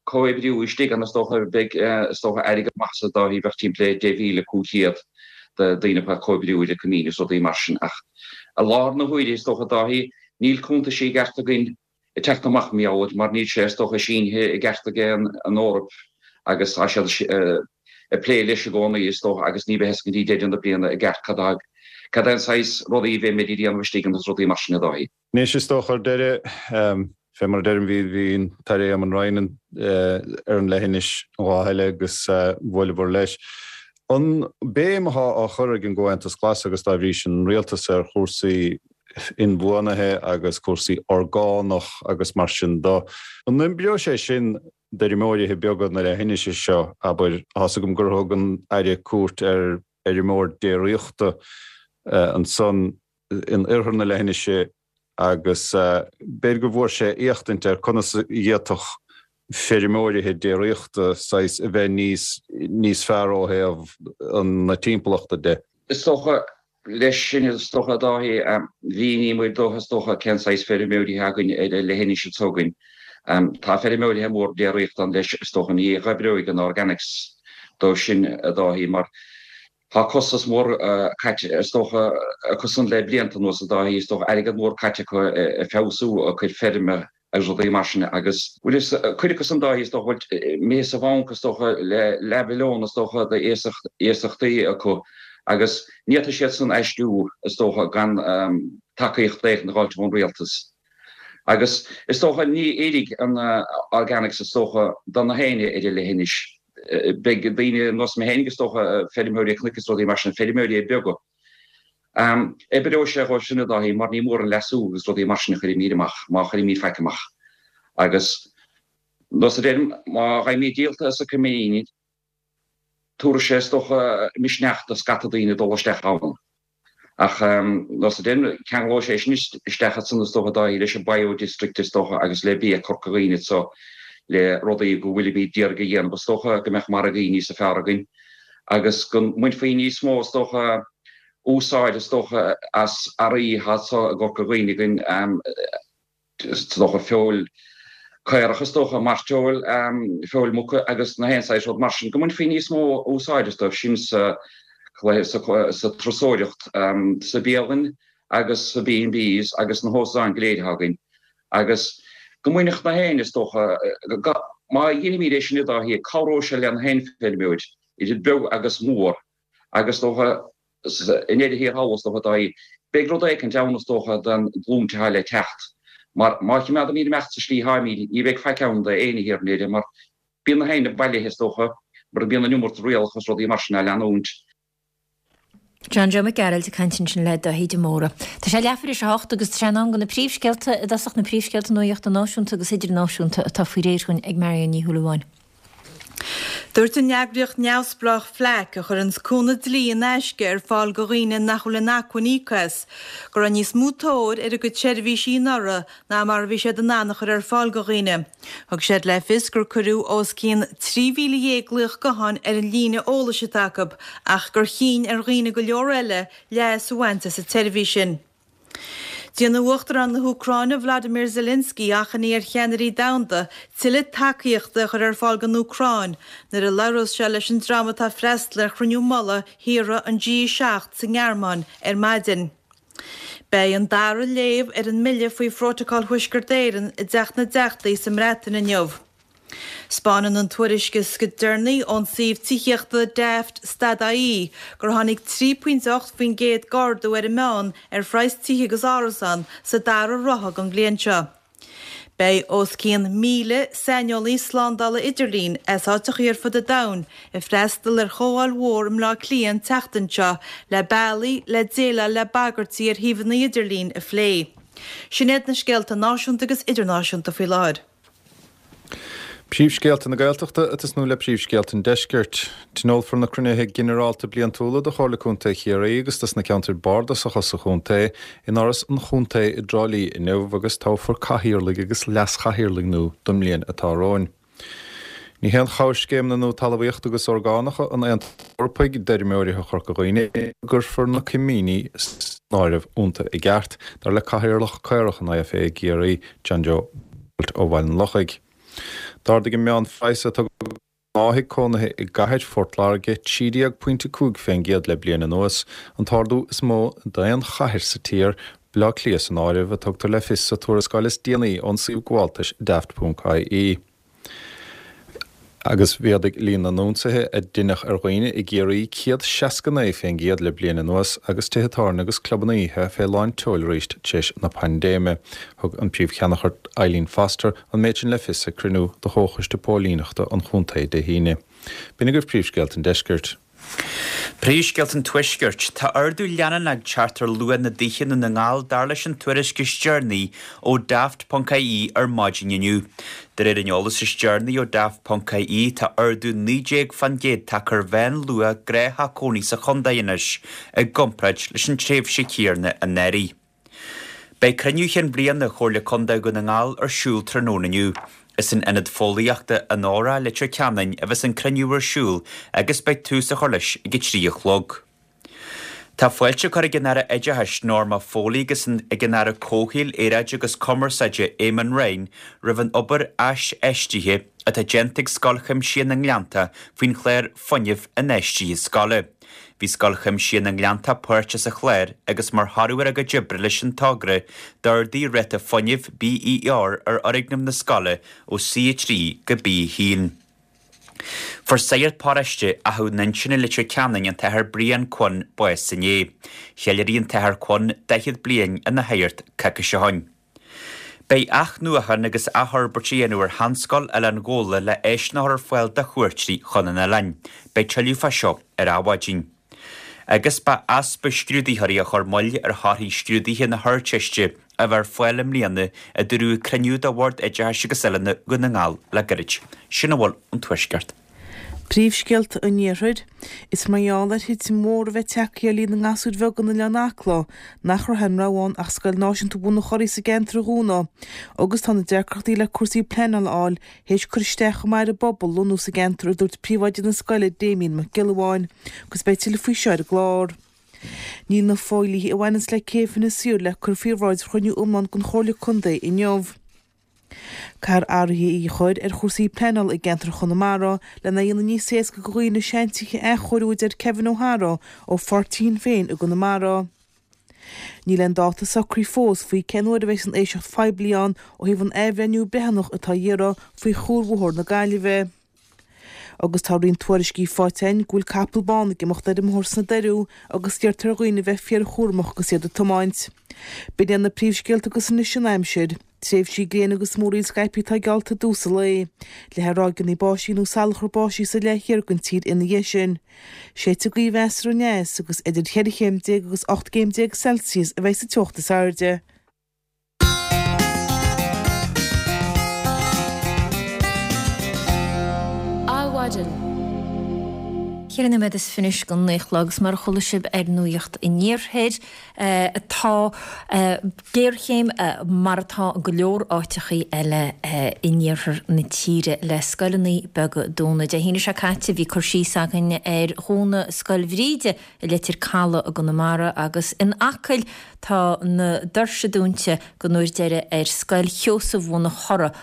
comhoibriú istigh ann is dócha beidh is dócha airgead maith sa Dáithí bheadh timpeall le deich mhíle cúig chéad de daoine ag comhoibriú ar an coimín is rudaí mar sin ach i láthair na huaire is dócha Dáithí níl cuntaisí i gceart againn ag teacht amach mar gheall air mar níl sé is dócha sínithe i gceart ag an Eoraip agus tá siad ag plé leis i gcónaí is dócha agus ní bheidh a fhios go dtí deireadh na bliana i gceart cad cad é an saghas rudaí a bheimid ag déanamh istigh ann is rudaí mar sin a Dáithí. Anois is dócha ar deireadh, fé mar a deirim, bhí bhí an tAire Eamon Ryan ar an leithinis an lá eile agus bhuaileabhair leis. An béim atá á chur ag an gComhaontas Glas agus dá bhrí sin an rialtas ar chúrsaí inbhuanaithe agus cúrsaí orgánach agus mar sin do, an oibreoidh sé sin d'fheirmeoirithe beaga na leithinise seo, abair, tá's agam gur thug an Aire cuairt ar fheirmeoir déiríochta ansan in oirthear na leithinise agus b'fhéidir go bhfuair sé éachtaint ar conas a d'fhéadfadh feirmeoirithe déiríochta saghas a bheith níos níos fearr ó thaobh na timpeallachta de. Is dócha, leis sin, is dócha, a Dáithí, mhíníomar dó, is dócha, cén saghas feirmeoirithe againn ar an leithinis s'againn. Tá feirmeoirithe mór déiríochta ann leis, is dócha, ní oibreoidh an organics dóibh sin, a Dáithí, mar Tá costas mór caite, is dócha, acusan le blianta anuas, a Dháithí, is dócha, airgead mór caite acu ag feabhsú a gcuid feirme agus rudaí mar sin agus bhfuil fhios, cuid acusan, a Dháithí, is dócha, bhfuil imithe sa bhanc, is dócha, le leathmhilliún, is dócha, d'iasachtaí acu agus ní fhéadfaidh siad san aistriú, is dócha, gan tacaíocht éigin a dh'fháilt ón rialtas. Agus is dócha, ní fheilfidh an organics, is dócha, do na héinne ar an leithinis. Beidh daoine ar nós mé féinig, is dócha, feirmeoirí cnoic is rudaí mar sin, feirmeoirí beaga. Oibreoidh sé dhóibh sin, a Dháithí, mar ní mór an leasú agus rudaí mar sin a chuirfimíd amach, má chuirimíd faic amach. Agus nós a deirim, má gheibhimíd díolta as na coimíní, tabharfaidh sé, is dócha, misneach do scata daoine dul isteach ann. Ach nós a deirim, ceanglóidh sé sin isteach ansan, is dócha, a Dháithí, leis an bio-district, is dócha, agus le bia Corca Dhuibhne anso, le rudaí go bhfuilimíd d'iarraidh a dhéanamh, is dócha, go mbeadh margaí níosa fearr againn agus go mbainfí níos mó, is dócha, úsáid, is dócha, as earraí atá anso i gCorca Dhuibhne againn. Is dócha feoil caorach, is dócha, mairteoil, feoil muca agus na haon saghas rud mar sin, go mbainfí níos mó úsáid astu sin sa sa turasóireacht, sa bialann agus sa B and Bs agus na hóstáin go léir atá againn agus go mbainfeadh na héinne, is dócha, má dheinimíd é sin a Dháithí, cabhróidh sé le na haon feirmeoir, idir beag agus mór agus is dócha, I ndeireadh thiar thall, is dócha, a Dháithí, beidh rud éicint ann, is dócha, don ghlúin atá le teacht. Mar má chimeádaimíd imeacht sa slí atáimíd, ní bheidh faic ann d'éinne thiar in Éirinn, mar bíonn na héinne bailithe, is dócha, mar bíonn an iomarca rialacha is rudaí mar sin á leanúint. John Joe Mac Gearailt ag caint ansin le Dáithí de Mórdha. Tá sé leathuair théis a hocht agus tá sé in am do na príomhscéalta, i dtosach na príomhscéalta nuachta náisiúnta agus idirnáisiúnta atá faoi réir dhúinn ag Marion Ní Shúilleabháin. Dúirt an eagraíocht neamhspleách FLAC, a chuireanns cúnamh dlí in aisce ar fáil do dhaoine nach bhfuil in acmhainn íoc as, go raibh níos mó tóir ar a gcuid seirbhísí anuraidh ná mar a bhí siad in ann a chur ar fáil do dhaoine. Thug siad le fios gur cuireadh os cionn trí mhíle dhéag glaoch gutháin ar an líne eolais atá acu ach gur chinn ar dhaoine go leor eile leas a bhaint as an tseirbhís sin. Déanfaidh Uachtarán na hÚcráine Vladimir Zelensky achainí ar cheannairí domhanda tuilleadh tacaíochta a chur ar fáil don Úcráin nuair a labhrós sé leis an dream atá ag freastal ar chruinniú mullaigh thíortha an G seacht sa nGearmáin ar maidin. Beidh an dara léamh ar an mbille faoi Phrótacal Thuaisceart Éireann i dTeach na dTeachtaí sa mBreatain inniu. 'Spáineann an tuairisc is deireanaí ón suíomh tithíochta Daft stad-IE gur tháinig trí pointe ocht faoin gcéad d'ardú ar an meán ar phraghas tithe agus árasán sa dara ráithe den bhliain seo. Beidh os cionn míle saineolaí slándála idirlín as áiteachaí ar fud an domhain ag freastal ar chomhdháil mhór i mBleá Cliath an tseachtain seo le bealaí le déileáil le bagairtí ar shuíomhanna idirlín a phlé. Sin iad na scéalta náisiúnta agus idirnáisiúnta faoi láthair. Príomhscéalta na Gaeltachta ag tosnú le príomhscéalta an Deiscirt. Tionólfar na cruinnithe ginearálta bliantúla do Chomhairle Contae Chiarraí agus dos na ceantair bardasacha sa chontae in Áras an Chontae i dTrá Lí inniu agus toghfar cathaoirligh agus leas-chathaoirligh nua don mbliain atá romhainn. Ní haon chabhair scéimeanna nua talmhaíochta agus orgánacha an Aontais Eorpaigh d'fheirmeoirí Chorca Dhuibhne go gcuirfear na coimíní san áireamh iontu i gceart, dar le Cathaoirleach Caorach an IFA i gCiarraí, John Joe ó Bhaile an Lochaigh. D'ardaigh an meánphraghas a tugadh do ghnáth-thigh cónaithe i gcathair Phort Láirge trí déag pointe cúig fén gcéad le bliain anuas, an t-ardú is mó d'aon chathair sa tír, Baile Átha Cliath san áireamh, a tugtar le fios sa tuarascáil is déanaí ón suíomh gabháltais Daft ponc IE. Agus mhéadaigh líon na n-ionsaithe a deineadh ar dhaoine i gCiarraí céad seasca naoi fén gcéad le bliain anuas agus tithe tábhairne agus clubanna oíche fé lán tseoil arís tar éis na paindéime. Thug an Príomh-Cheannchairt Eileen Foster an méid sin le fios ag cruinniú de Chomhchoiste Póilíneachta an chontae Dé hAoine. B'in agaibh príomhscéalta an deiscirt. Príomhscéalta an Tuaiscirt, Tá ardú leanúnach ag teacht ar luach na dtithe i nDún na nGall dar leis an tuairisc is deireanaí ó Daft ponc IE ar maidin inniu. De réir an eolais is deireanaí ó Daft ponc IE tá ardú naoi déag fán gcéad tagtha ar mheánluach gnáth-theach cónaí sa chontae anois i gcomparáid leis an tréimhse chéanna anuraidh. Beidh cruinniú chinn bliana Chomhairle Contae Dhún na nGall ar siúl tráthnóna inniu. Is in Ionad Fóillíochta Onóra, Leitir Ceanainn a bheas an cruinniú ar siúl agus beidh tús á chur leis ag a trí a chlog. Tá fáilte curtha ag an Aire Oideachais, Norma Foley agus ag an Aire Comhshaoil, Aeráide agus Cumarsáide, Eamon Ryan roimh an obair aisfheistithe atá déanta ag Scoil Chuimsitheach na nGleannta faoin chlár Fuinneamh Infheistithe Scoile. Bhí Scoil Chuimsithe na nGleanntach páirteach sa chlár agus mar thoradh ar a gcuid oibre leis an togra, d'ardaigh ráta fuinnimh BER ar fhoirgneamh na scoile ó C a trí go B a haon. Fuair sagart paróiste Achadh Nuinseann i Leitir Ceanainn, an tAthair Brian Quinn, bás inné. Cheiliúraigh an tAthair Quinn daichead bliain ina shagart coicís ó shin. Beidh athnuachan agus athfhorbairt á dhéanamh ar sheanscoil Oileán Ghabhla le áiseanna a chur ar fáil do chuairteoirí chun an oileáin. Beidh tuilleadh fá seo ar Adhmhaidin. Agus ba easpa scrúdaitheoirí a chuir moill ar thorthaí scrúduithe na hArdteiste a bheith ar fáil i mbliana, a dúradh ag cruinniú de Bhord Oideachais agus Oiliúna Dhún na nGall le gairid. Sin a bhfuil ón Tuaisceart. Príomhscéalta an Iarthair. Is mar gheall ar thitim mhór a bheith tagtha ar líon na ngasúr bheag in Oileán Acla nach raibh aon rogha ann ach Scoil Náisiúnta Bhun an Churraigh sa gceantar a dhúnadh agus tá na deacrachtaí le cúrsaí pleanála a fháil théis cur isteach chomh maith ar an bpobal lonnú sa gceantar a dúirt príomhoide na scoile Damien Mac Giolla Bháin agus beidh tuilleadh faoi seo ar an gclár. Níl na fodhlíthe a bhaineanns le céibh Inis Oírr le cur faoi bhráid chruinniú iomlán den Chomhairle Contae inniu. Caithfear athruithe a chur ar chúrsaí pleanála i gceantar Chonamara lena dhéanamh níos éasca do dhaoine seantithe a athchóiriú a deir Kevin O'Hara ó pháirtí Shinn Féin i gConamara. Níl aon dáta socraithe fós faoi cén uair a bheidh an éisteacht phoiblí ann ó thaobh an athbhreithniú breithiúnach atá á iarraidh faoi chuarbhóthar na Gaillimhe. Agus tá roinnt tuairiscí faighte againn go bhfuil capall bán ag imeacht ar an mbóthar sna Doiriú agus iarrtar ar dhaoine bheith fíorchúramach agus iad ag tiomáint. B'in iad na príomhscéalta agus anois an aimsir. Tréimhsí gréine agus múraíl scaipthe atá geallta i dtús an lae. Le ráigeanna báistí nó salachar báistí sa leath thiar den tír ina dhiaidh sin. Séidfidh gaoth mheasartha aneas agus idir cheithre chéim déag agus ocht gcéim déag Celsius a bheidh sa teocht is airde. Adhmhaidin. Ceithre nóiméad is fiche anois don naoi a chlog agus mar a chuala sibh ar Nuacht an Iarthair, tá géarchéim mar atá i go leor áiteachaí eile in iarthar na tíre le scoileanna beaga a dhúnadh. Dé hAoine seo caite bhí cur síos againn ar dhúnadh Scoil Bhríde i Leitir Caladh i gConamara agus in Acaill tá na doirse dúnta don uair deiridh ar Scoil Sheosaimh Bhun an Churraigh,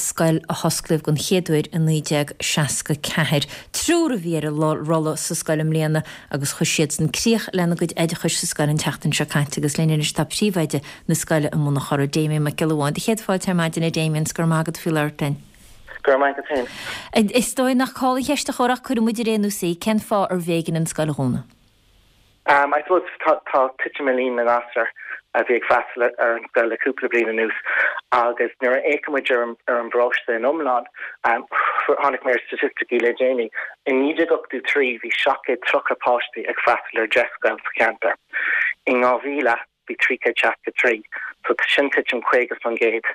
scoil a hosclaíodh den chéad uair i naoi déag seasca ceathair. Triúr a bhí ar an rolla sa scoil i mbliana agus chuir siadsan críoch lena gcuid oideachais sa scoil an tseachtain seo caite agus linn anois tá príomhoide na scoile i mBun an Churraigh, Damien Mac Giolla Bháin. Do chéad fáilte ar maidin a Damien, 's go raibh maith agat faoi labhairt linn. Go raibh maith agat féin. Is dóigh nach call an cheist a chur ach cuirfidh muid ar aon nós í, cén fáth arbh éigean an scoil a dhúnadh? Um, I suppose tá, tá titim i líon na ngasúr a bhí ag freastal ar an scoil le cúpla bliain anuas agus nuair a fhéachann muid ar an, ar an bparóiste in iomlán, um, tháinig mé ar staitisticí le déanaí, i naoi déag ochtó trí bhí seacht gcéad tríocha páistí ag freastal ar deich scoil sa cheantar. In dhá mhíle bhí trí chéad seasca trí, so sin titim caoga faoin gcéad.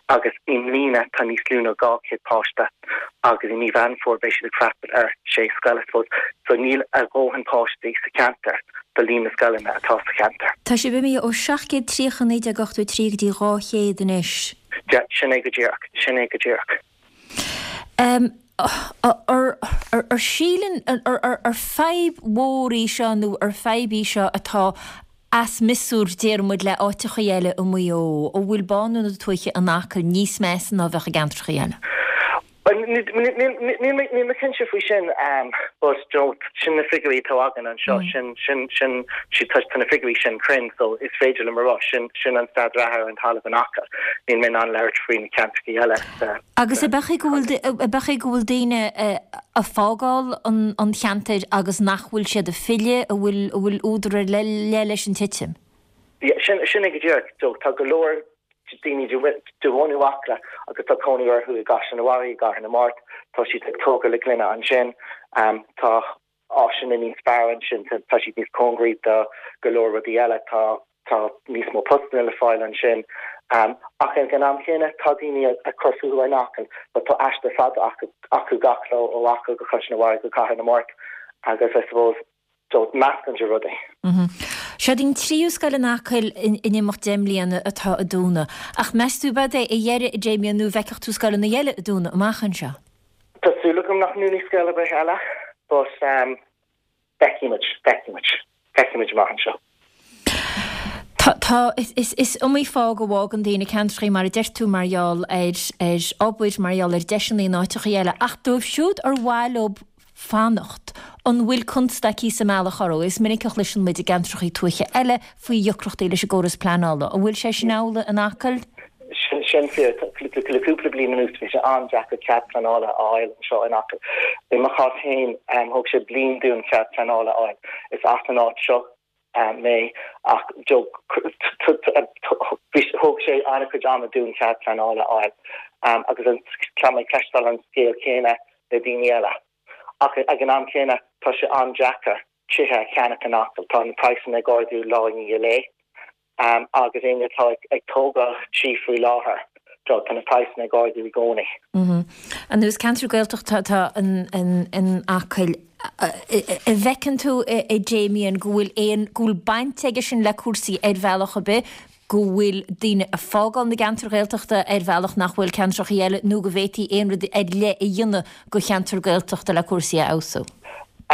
Agus i mbliana tá níos lú ná dhá chéad páiste agus i mí Mheán Fómhair beidh siad ag freastal ar sé scoil, I suppose. So níl a dhóthain páistí sa cheantar do líon na scoileanna atá sa cheantar. Tá sibh imithe ó seacht gcéad tríocha naoi déag ochtó trí go dtí dhá chéad anois. Yeah, sin é go díreach, sin é go díreach. Um, ar, ar, ar síleann, ar, ar, ar fadhb mhór í seo nó ar fadhb í seo atá as miosúr, deir muid, le áiteachaí eile i Maigh Eo, an bhfuil bánú na tuaithe in Acaill níos measa ná a bheadh i gceantrachaí eile? Níl mé cinnte faoi sin, but you know, sin na figiúirí atá againn anseo, sin, sin, sin, tá na figiúirí sin cruinn, so is féidir liom a rá, sin, sin an staid reatha ar an talamh in Acaill. Níl mé in ann labhairt faoi na ceantrachaí eile sa. Agus ab ea go bhfuil, ab ea go bhfuil daoine ag fágáil an cheantair agus nach bhfuil siad ag filleadh, an bhfuil, an bhfuil údar ar leith leis an titim? Yeah, sin, sin é go díreach. So, tá go leor daoine de bhunú Acla agus tá cónaí orthu i gCaisleán an Bharraigh, i gCathair na Mart, tá siad ag tógáil le gloine ansin, tá áiseanna níos fearr ansin, tá siad níos cóngaraí do go leor rudaí eile, tá tá níos mó postanna le fáil ansin. Ach ag an am chéanna, tá daoine ag cur fúthu in Acaill, but tá aistear fada acu acu gach lá ó Acaill go Caisleán an Bharraigh go Cathair na Mart agus I suppose so meascán de rudaí. Seod í an tríú scoil in Acaill in imeacht deich mbliana atá ag dúnadh. Ach meas tú ab ea é a dheireadh, a Damien, nó an bhfeicfeadh tú scoileanna eile ag dúnadh amach anseo? Tá súil agam nach ndúnfaidh scoil ar bith eile, but feicfidh muid, feicfidh muid, feicfidh muid amach anseo. Tá, tá, is, is iomaí fáth go bhfágann daoine ceantrachaí, mar a deir tú, mar gheall ar, ar obair, mar gheall ar deiseanna in áiteachaí eile, ach dóibh siúd ar mhaith leo fanacht. An bhfuil constaicí sa mbealach orthu? Is minic a chloiseann muid i gceantracha tuaithe eile faoi dheacrachtaí leis an gcóras pleanála. An bhfuil sé sin amhlaidh in Acaill? Sin fíor. Le cúpla bliain anuas bhí sé an-deacair cead pleanála a fháil anseo in Acaill. I mo chás féin thóg sé bliain dúinn cead pleanála a fháil. Is as an áit seo mé ach thóg sé an-chuid ama dúinn cead pleanála a fháil agus tá mé ag cloisteáil an scéal céanna le daoine eile. Ach ag an am céanna tá sé an-deacair tithe a cheannach in Acaill. Tá na praghsanna ag ardú lá i ndiaidh lae agus éinne atá ag tógáil tí faoi láthair tá na praghsanna ag ardú i gcónaí. Anuas ceantar Gaeltachta atá in Acaill. An bhfeiceann tú a Damien go bhfuil aon, go bhfuil baint aige sin le cúrsaí ar bhealach ar bith, go bhfuil daoine ag fágáil na gceantar Gaeltachta ar bhealach nach bhfuil ceantracha eile nó go bhféadfaí aon rud ar leith a dhéanamh go cheantar Gaeltachta le cúrsaí a fheabhsú?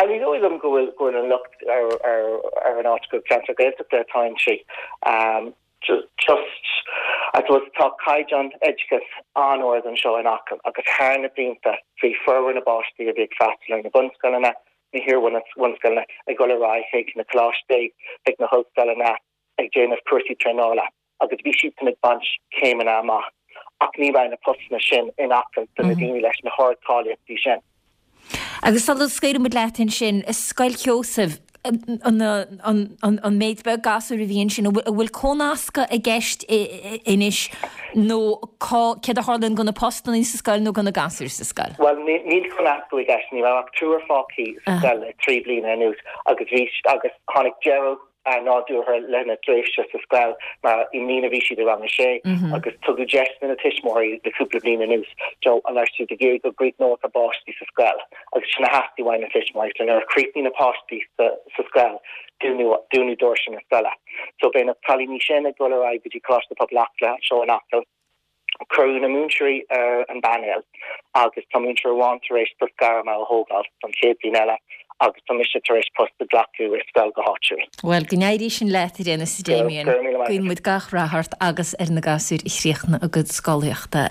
Ní dóigh liom go bhfuil go bhfuil an locht ar ar ar an áit gur ceantar Gaeltachta atá inti. Just I suppose tá caighdeán oideachais an-ard anseo in Acaill agus thar na blianta bhí formhór na bpáistí a bhí ag freastal ar na bunscoileanna, na hiar-bhunscoileanna ag dul ar aghaidh chuig na coláistí, chuig na hollscoileanna ag déanamh cúrsaí traenála agus bhí siadsan ag baint céimeanna amach ach ní raibh na postanna sin in Acaill do na daoine leis na hardcháilíochtaí sin. Agus sula scaoileann muid leat ansin, Scoil Sheosaimh, an méid beag gasúr a bhí ansin, an bhfuil cónascadh i gceist anois nó céard a tharlaíonn do na postanna sa scoil nó do na gasúir sa scoil? Bhuel, níl cónascadh i gceist, ní raibh ach triúr fágtha sa scoil le trí bliana anuas agus bhí agus tháinig deireadh nádúrtha lena dtréimhse sa scoil mar i mbliana bhí siad i rang a sé agus tugadh deis do na tuismitheoirí le cúpla bliain anuas Joe an raibh siad ag iarraidh go gcríochnódh a bpáistí sa scoil agus sin a theastaigh uaidh na tuismitheoirí so nuair a chríochnaigh na páistí sa sa scoil dúnadh dúnadh doirse na scoile. So beidh na cailíní sin ag dul ar aghaidh go dtí Coláiste Pobail Acla anseo in Acaill. Cuireadh na múinteoirí ar an bpainéal agus tá múinteoir amháin tar éis post gairme a thógáil don chéad bhliain eile agus tá mise tar éis post a ghlacadh i scoil go háitiúil. Bhuel, go n-éirí sin leat, a Dhéanamh a Damien. Guíonn muid gach rath ort agus ar na gasúir a chríochnaigh a gcuid scolaíochta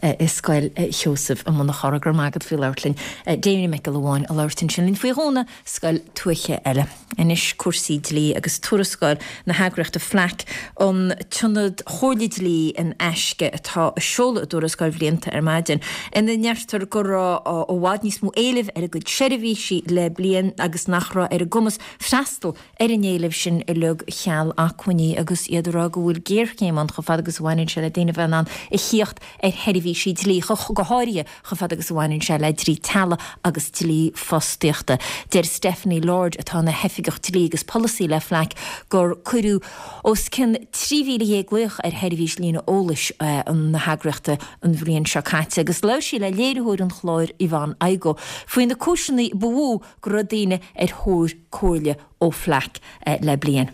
i Scoil Sheosaimh i mBun an Chorra. Go raibh maith agat faoi labhairt linn. Damien Mac Giolla Bháin a labhairt ansin linn faoi dhúnadh scoil tuaithe eile. Anois cúrsaí dlí agus tuarascáil na heagraíochta FLAC, an tIonad Chomhairle Dlí in Aisce atá ag seoladh a dtuarascáil bhlianta ar maidin, ina ndeirtear go raibh i bhfad níos mó éilimh ar a gcuid seirbhísí le bliain agus nach raibh ar a gcumas freastal ar an éileamh sin uilig cheal acmhainní agus iad ag rá go bhfuil géarchéim ann chomh fada agus a bhaineann sé le daoine a bheith in ann a thíocht ar sheirbhísí dlí, go háirithe chomh fada agus a bhaineann sé le dlí teaghlaigh agus dlí fostaíochta. Deir Stephanie Lord, atá ina hOifigeach Dlí agus Polasaí le FLAC, gur cuireadh os cionn trí mhíle dhéag glaoch ar sheirbhís líne eolais na heagraíochta an bhliain seo caite agus labhair sí le léiritheoir an chláir Yvonne Igoe faoi na cúiseanna ba mhó go raibh daoine ar thóir comhairle ó FLAC le bliain.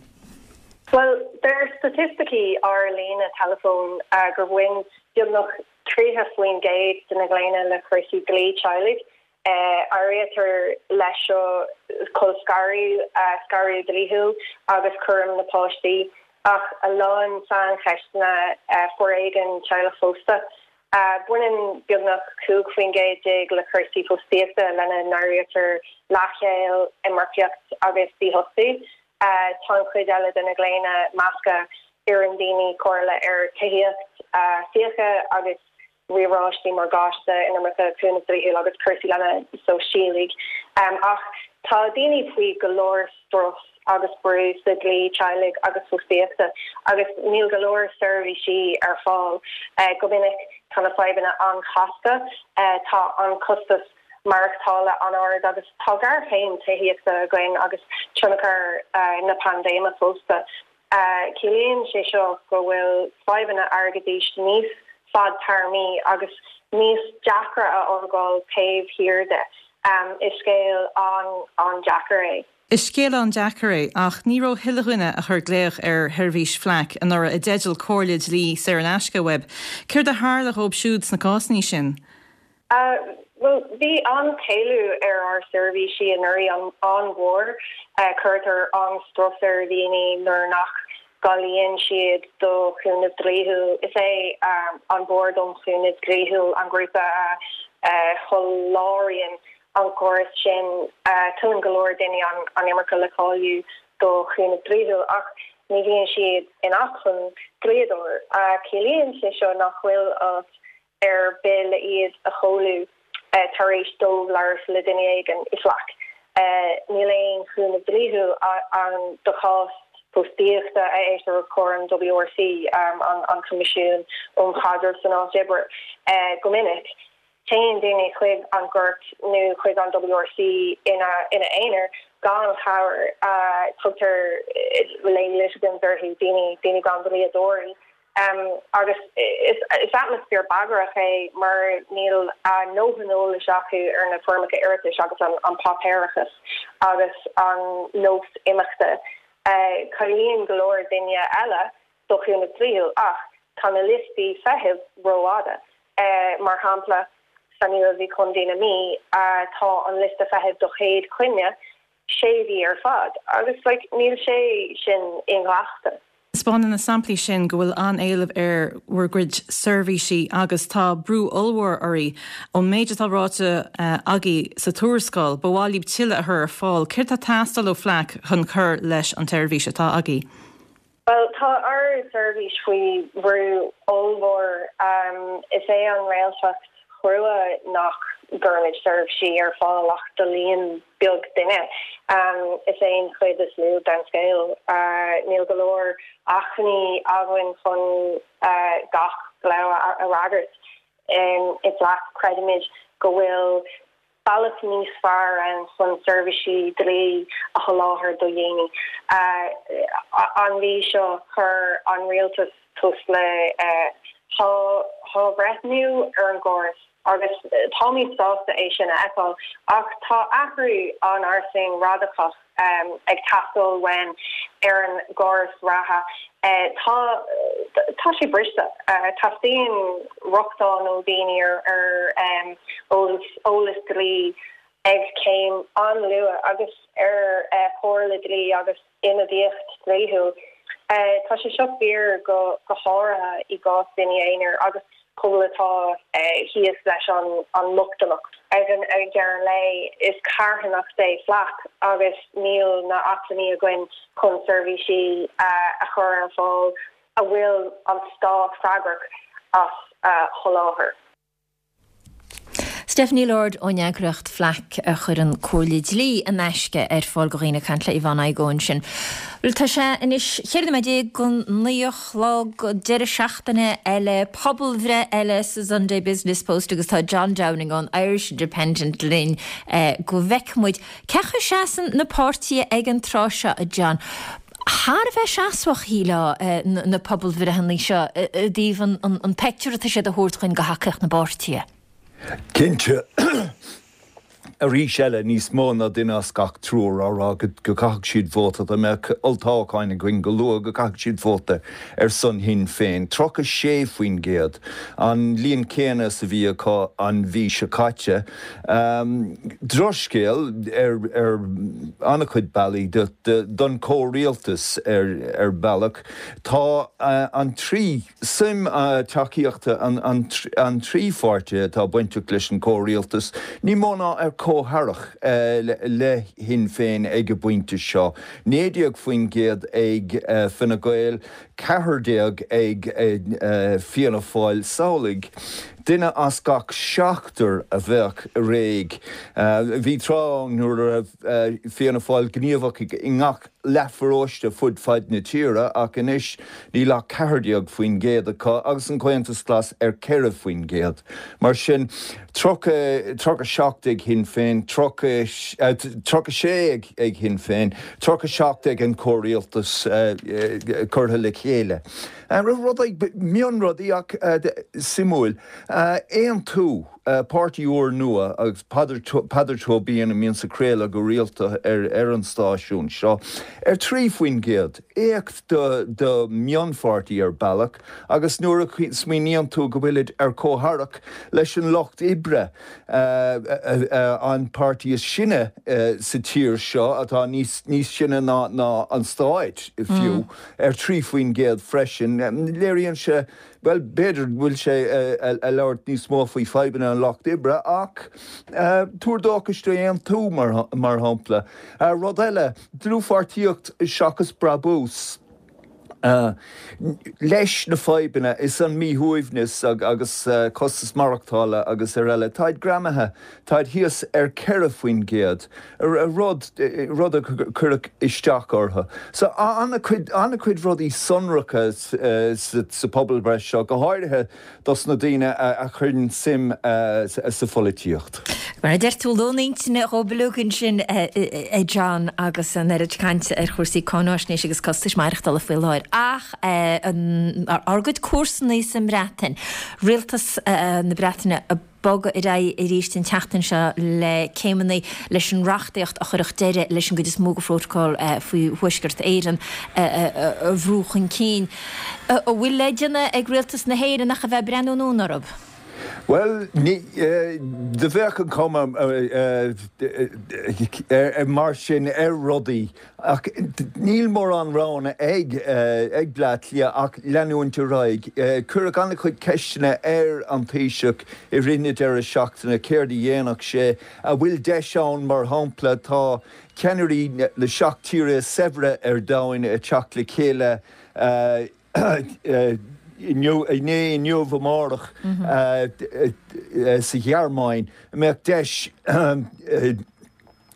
Bhuel, deir staitisticí ár líne teileafóin gur bhain beagnach tríocha faoin gcéad de na glaonna le cúrsaí dlí teaghlaigh. Áirítear leis seo colscaradh, scaradh dlíthiúil agus cúram na páistí, ach a lán saincheisteanna foréigean teaghlach fosta. Baineann beagnach cúig faoin gcéad déag le cúrsaí fostaíochta, lena n-áirítear leathshaol, iomarcaíocht agus dífhostú. Tá an chuid eile de na glaonna measctha, iarrann daoine comhairle ar tithíocht, fiacha agus riaráistí morgáiste, inimirce, cúnamh dlíthiúil agus cúrsaí leasa sóisialaigh. Ach tá daoine faoi go leor strus agus brú sa dlí teaghlaigh agus fostaíochta agus níl go leor seirbhísí ar fáil. Go minic tá na fadhbanna an-chasta, tá an costas maireachtála an-ard agus tá géarchéim tithíochta againn agus tionchar na paindéime fosta. Ciallaíonn sé seo go bhfuil fadhbanna airgeadais níos fadtéarmaí agus níos deacra a fhágáil taobh thiar de. Is scéal an-deacair é. Is scéal an-deacair é, ach ní raibh chuile dhuine a chuir glaoch ar sheirbhís FLAC anuraidh i dteideal comhairle dlí saor in aisce uaibh. Céard a tharla dhóibh siúd sna cásanna sin? Bhuel, bhí an-éileamh ar ár seirbhísí anuraidh, an-mhór. Cuirtear an-strus ar dhaoine nuair nach gcáilíonn siad do chúnamh dlíthiúil. Is é an Bord um Chúnamh Dlíthiúil an grúpa a sholáthraíonn an córas sin. Tuilleann go leor daoine an iomarca le cáiliú do chúnamh dlíthiúil ach ní bhíonn siad in acmhainn dlíodóir. Ciallaíonn sé seo nach bhfuil áit ar bith le iad a sheoladh tar éis dóibh labhairt le duine éigin i FLAC. Níl aon chúnamh dlíthiúil ann do chás fostaíochta a éistear os comhair an WRC, an Coimisiún um Chaidreamh san Áit Oibre, go minic. Téann daoine chuig an gcúirt nó chuig an WRC ina ina aonar gan chabhair. Tugtar lay litigants orthu, daoine daoine gan dlíodóirí. Agus is is atmaisféar bagrach é mar níl a ndóthain eolais acu ar na foirmeacha iarratais agus an an páipéarachas agus an nós imeachta. Cáilíonn go leor daoine eile do chúnamh dlíthiúil ach tá na liostaí feithimh rófhada. Mar shampla, san Iarmhí, Contae na Mí, tá an liosta feithimh do chéad choinne sé mhí ar fad agus like níl sé sin inghlactha. Taispeánann na samplaí sin go bhfuil an-éileamh ar bhur gcuid seirbhísí agus tá brú ollmhór oraibh. Ón méid atá ráite agaibh sa tuarascáil, ba mhaith libh tuilleadh a chur ar fáil. Céard atá ag teastáil ó FLAC chun cur leis an tseirbhís atá agaibh? Bhuel, tá ár seirbhís faoi bhrú ollmhór. Is é an réaltacht chrua nach gcuirimid seirbhísí ar fáil ach do líon beag duine. Is é an chuid is lú den scéal. Níl go leor acmhainní againn chun gach glao a fhreagairt. I FLAC, creidimid go bhfuil bealach níos fearr ann chun seirbhísí dlí a sholáthar do dhaoine. An mhí seo, chuir an rialtas tús le hathbhreithniú ar an gcóras agus táimid sásta é sin a fheiceáil, ach tá athrú an-fhairsing radacach ag teastáil uainn ar an gcóras reatha. Tá tá sé briste. Teastaíonn rochtain ó dhaoine ar ar eolas eolas dlí ag céim an-luath agus ar chomhairle dlí agus ionadaíocht dhlíthiúil. Tá sé seo fíor go go háirithe i gcás daoine aonair agus pobal atá thíos leis an an mbochtaineacht. Ag an ag deireadh an lae, is carthanacht é FLAC agus níl na acmhainní againn chun seirbhísí a chur ar fáil a bhfuil an stát freagrach as a sholáthar. Stephanie Lord ón eagraíocht FLAC a chuireann comhairle dlí in aisce ar fáil do dhaoine ag caint le Yvonne Igoe ansin. Bhuel tá sé anois cheithre nóiméad déag go naoi a chlog, deireadh seachtaine eile, pobalbhreith eile sa Sunday Business Post agus tá John Downing ón Irish Independent linn go bhfeicfidh muid cén chaoi a seasann na páirtithe ag an tráth seo, a John. Thar a bheith seasmhach, shílfeá, na pobalbhreitheanna seo i dtaobh an pictiúr atá siad a thabhairt chugainn de thacaíocht na bpáirtithe. Cinnte, arís eile, níos mó ná duine as gach triúr á rá go gcaithfeadh siad vóta, dá mbeadh olltoghchán againn go luath, go gcaithfeadh siad vóta ar son Shinn Féin. tríocha sé faoin gcéad, an líon céanna is a bhí acu an mhí seo caite. Drochscéal ar ar an-chuid bealaí don chomhrialtas ar bhealach. Tá an trí suim tacaíochta an trí pháirtí atá bainteach leis an chomhrialtas, ní mó ná ar comhtharrac le Shinn Féin ag an bpointe seo, naoi déag faoin gcéad ag Fine Gael, ceathair déag ag Fianna Fáil. Samhlaigh, duine as gach seachtar a bheadh réidh. Bhí tráth ann nuair a raibh Fianna Fáil gníomhach i ngach leathpharóiste fud fad na tíre ach anois níl ach ceathair déag faoin gcéad acu agus an Comhaontas Glas ar ceithre faoin gcéad. Mar sin, tríocha, tríocha seacht ag Shinn Féin, tríocha, tríocha sé ag Shinn Féin, tríocha seacht ag an comhrialtas curtha le chéile. Rudaí, mionrudaí ach suimiúil. Aontú, páirtí úr nua agus Peadar Tóibín a mbíonns ag craoladh go rialta ar an stáisiún seo, ar trí faoin gcéad. Éacht do mhionpháirtí ar bealach agus nuair a smaoiníonn tú go bhfuilid ar comhtharrac leis an Lucht Oibre, an páirtí is sine sa tír seo, atá níos sine ná an stát fiú, ar trí faoin gcéad freisin, léiríonn sé, bhuel, b'fhéidir go bhfuil sé ag labhairt níos mó faoi fadhbanna an Lucht Oibre ach Tuar Dóchais d'Aontú mar shampla. Rud eile, dlúthpháirtíocht seachas brabús. Leis na fadhbanna is an míshuaimhneas agus costas maireachtála agus araile, táid greamaithe, táid thíos ar ceithre faoin gcéad, rud rud a chuirfeadh isteach orthu. So an-chuid an-chuid rudaí sonracha sa phobalbhreith seo, go háirithe dos na daoine a chuireann suim sa pholaitíocht. Mar a deir tú, lón intinne dhóibh uilig ansin, a John, agus an oiread cainte ar chúrsaí cáináisnéise agus costais maireachtála faoi láthair. Ach ár gcuid comharsanaí sa mBreatain, rialtas na Breataine ag bogadh ar aghaidh arís an tseachtain seo le céimeanna leis an reachtaíocht a chuirfeadh deireadh leis an gcuid is mó de phrótacal faoi Thuaisceart Éireann a bhrú chun cinn. An bhfuil le déanamh ag rialtas na hÉireann ach a bheith ag breathnú anonn orthu? Bhuel, do bheadh an chuma mar sin ar rudaí ach níl mórán roghanna ag ag Bleá Cliath ach leanúint ar aghaidh. Cuireadh an-chuid ceisteanna ar an Taoiseach i rith na deireadh seachtaine céard a dhéanfadh sé, an bhfuil deis ann mar shampla tá ceannairí na seacht tíre is saibhre ar domhan ag teacht le chéile inniu, inné, inniu, amárach sa Ghearmáin, an mbeadh deis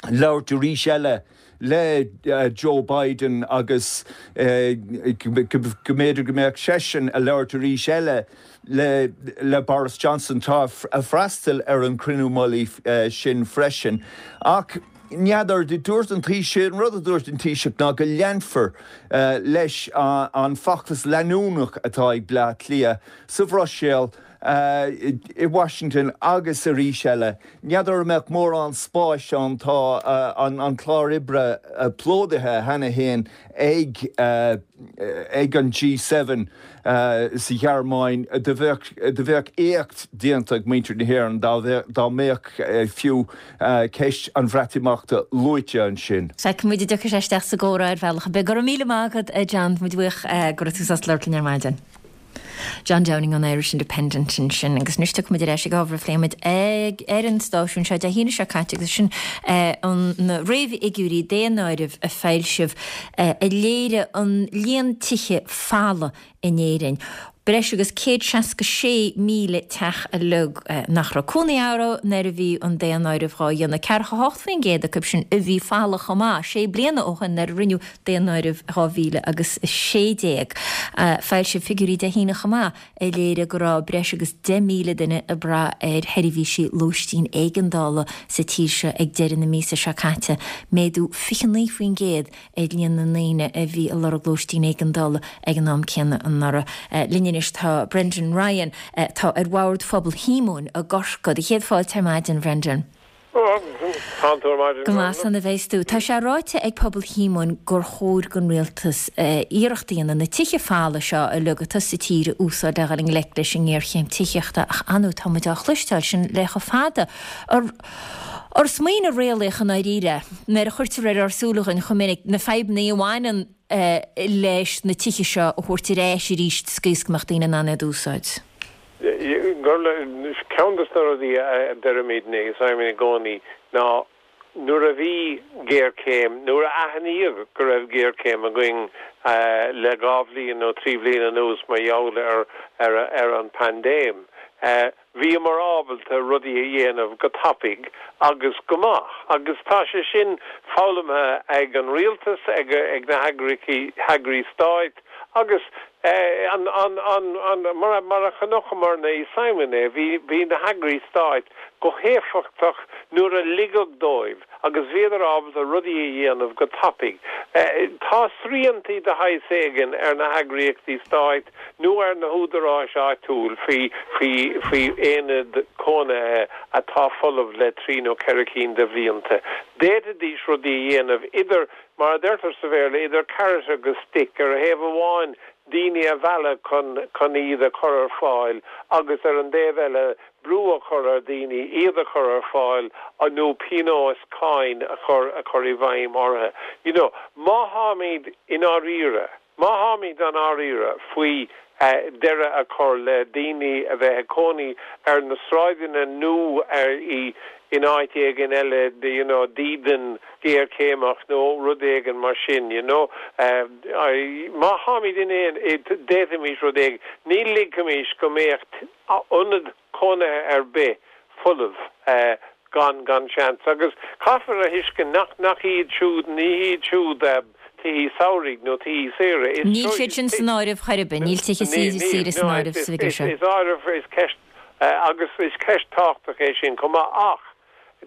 labhairt arís eile le Joe Biden agus go mb'fhéidir go mbeadh seisean ag labhairt arís eile le le Boris Johnson atá ag freastal ar an chruinniú mullaigh sin freisin. Ach n'fheadar, dúirt an Taoiseach, an rud a dúirt an Taoiseach ná go leanfar leis an feachtas leanúnach atá ag Bleá Cliath sa Bhruiséil, i Washington agus arís eile. N'fheadar an mbeadh mórán spáis ann, tá an clár oibre plódaithe cheana féin ag ag an G seven sa Ghearmáin. Do bheadh do bheadh éacht déanta ag muintir na hÉireann dá dá mbeadh fiú ceist an Bhreatimeachta luaite ansin. Feicfidh muid an dtiocfaidh sé isteach sa gcomhrá ar bhealach ar bith. Go raibh míle maith agat, a John. Tá muid buíoch go raibh tú sásta labhairt linn ar maidin. John Downing ón Irish Independent ansin agus anois tiocfaidh muid ar ais ag ábhar a phléigh muid ag ar an stáisiún seo Dé hAoine seo caite agus sin an na réamhfhigiúirí daonáirimh a foilsíodh a léirigh an líon tithe folamh in Éirinn. Breis agus céad seasca sé míle teach uilig nach raibh cónaí orthu nuair a bhí an daonáireamh dhá dhéanamh. Ceathracha hocht faoin gcéad acu sin a bhí folamh chomh maith sé bliana ó shin nuair a rinneadh daonáireamh dhá mhíle agus a sé déag. Foilsíodh figiúirí Dé hAoine chomh maith a léirigh go raibh breis agus deich míle duine ag brath ar sheirbhísí lóistín éigeandála sa tír seo ag deireadh na míosa seo caite, méadú fiche naoi faoin gcéad ar líon na ndaoine a bhí ag lorg lóistín éigeandála ag an am céanna anuraidh. Linn anois tá Brendan Ryan, atá ar bhord Phobal Shíomóin i gCorcaigh. Do chéad fáilte ar maidin, Brendan. Tánn tú ar maidin, Go maith san a bheas tú. Tá sé ráite ag Pobal Shíomóin gur chóir don rialtas iarracht a dhéanamh na tithe folamh seo uilig atá sa tír a úsáid le dhul i ngleic leis an ngéarchéim tithíochta ach ar ndóigh tá muid á chloisteáil sin le chomh fada. Ár smaoineamh réalaíoch i ndáiríre, nuair a chuirtear ar ár súile dhúinn chomh minic na fadhbanna a bhaineann leis na tithe seo a thabhairt ar ais arís sa gcaoi is go mbeadh daoine in ann iad a úsáid. Ceann de na rudaí a deirimidne i Simon i gcónaí ná nuair a bhí géarchéim, nuair a aithníodh go raibh géarchéim againn le dhá bhliain nó trí bhliain anuas mar gheall ar ar an bpaindéim, Bhíomar ábalta rudaí a dhéanamh go tapaidh agus go maith agus tá sé sin foghlamtha ag an rialtas, ag na hairí stáit agus an, an, an, an, mar, mar a chonaiceamarna i Simon é, bhí, bhí na hairí stáit go héifeachtach nuair a ligeadh dóibh agus bhíodar ábalta rudaí a dhéanamh go tapaidh. Tá sriantaí de shaghas éigin ar na heagraíochtaí stáit nó ar na húdaráis áitiúil faoi faoi faoi aonaid cónaithe atá folamh le trí nó ceithre cinn de bhlianta. D'fhéadfaidís rudaí a dhéanamh idir, mar a deirtear sa Bhéarla, idir carrot agus stick, ar thaobh amháin daoine a mhealladh chun chun iad a chur ar fáil agus ar an dtaobh eile brú a chur ar dhaoine iad a chur ar fáil nó pionós cáin a chur a chur i bhfeidhm orthu. You know, má tháimid i ndáiríre, Má tháimid i ndáiríre faoi deireadh a chur le daoine a bheith ag cónaí ar na sráideanna nó ar i in áit éigin eile you know dídean géarchéimeach nó rud éigin mar sin you know má tháimid in aon d'fhéadfaimis rud éigin ní ligfimis go mbeadh ionad cónaithe ar bith folamh gan gan seans agus caithfear a thuiscint nach nach iad siúd ní hiad siúd tithe samhraidh nó tithe saoire. Níl siad sin san áireamh chor ar bith, níl tithe saoire san áireamh sa bhfigiúr seo. Is áireamh is ceist agus is ceist tábhachtach é sin chomh maith ach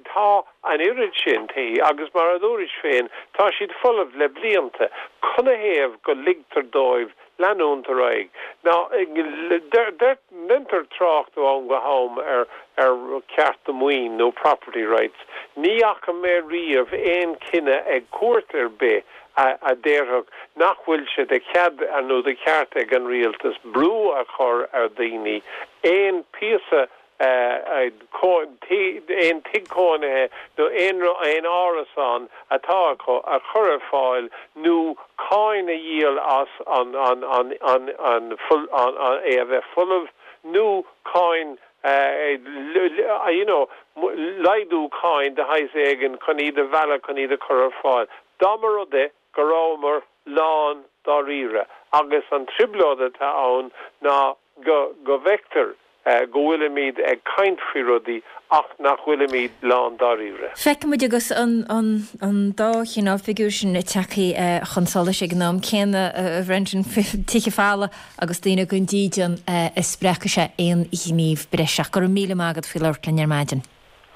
tá an oiread sin tithe agus mar a dúrais féin tá siad folamh le blianta. Canathaobh go ligtear dóibh leanúint ar aghaidh? Now deintear trácht ó am go ham ar ar cearta maoin nó property rights. Ní fhaca mé riamh aon chinneadh ag cúirt ar bith a a déarfadh nach bhfuil sé de chead nó de cheart ag an rialtas brú a chur ar dhaoine aon phíosa aon tigh cónaithe nó aon aon árasán atá acu a chur ar fáil nó cáin a dhíol as an an an an an an é a bheith folamh nó cáin you know laghdú cáin de shaghas éigin chun iad a mhealladh chun iad a chur ar fáil. Dá mba rud é go rabhamar lán dáiríre agus an trioblóid atá ann ná go go bhfeictear go bhfuilimid ag caint faoi rudaí ach nach bhfuilimid lán dáiríre. Feicimid agus an an an dá chineál figiúr sin ag teacht chun solais ag an am céanna, a Bhrendan, tithe folamh agus daoine gan dídean a spreagfaidh sé aon ghníomh breise. Ach go raibh míle maith agat faoi labhairt linn ar maidin.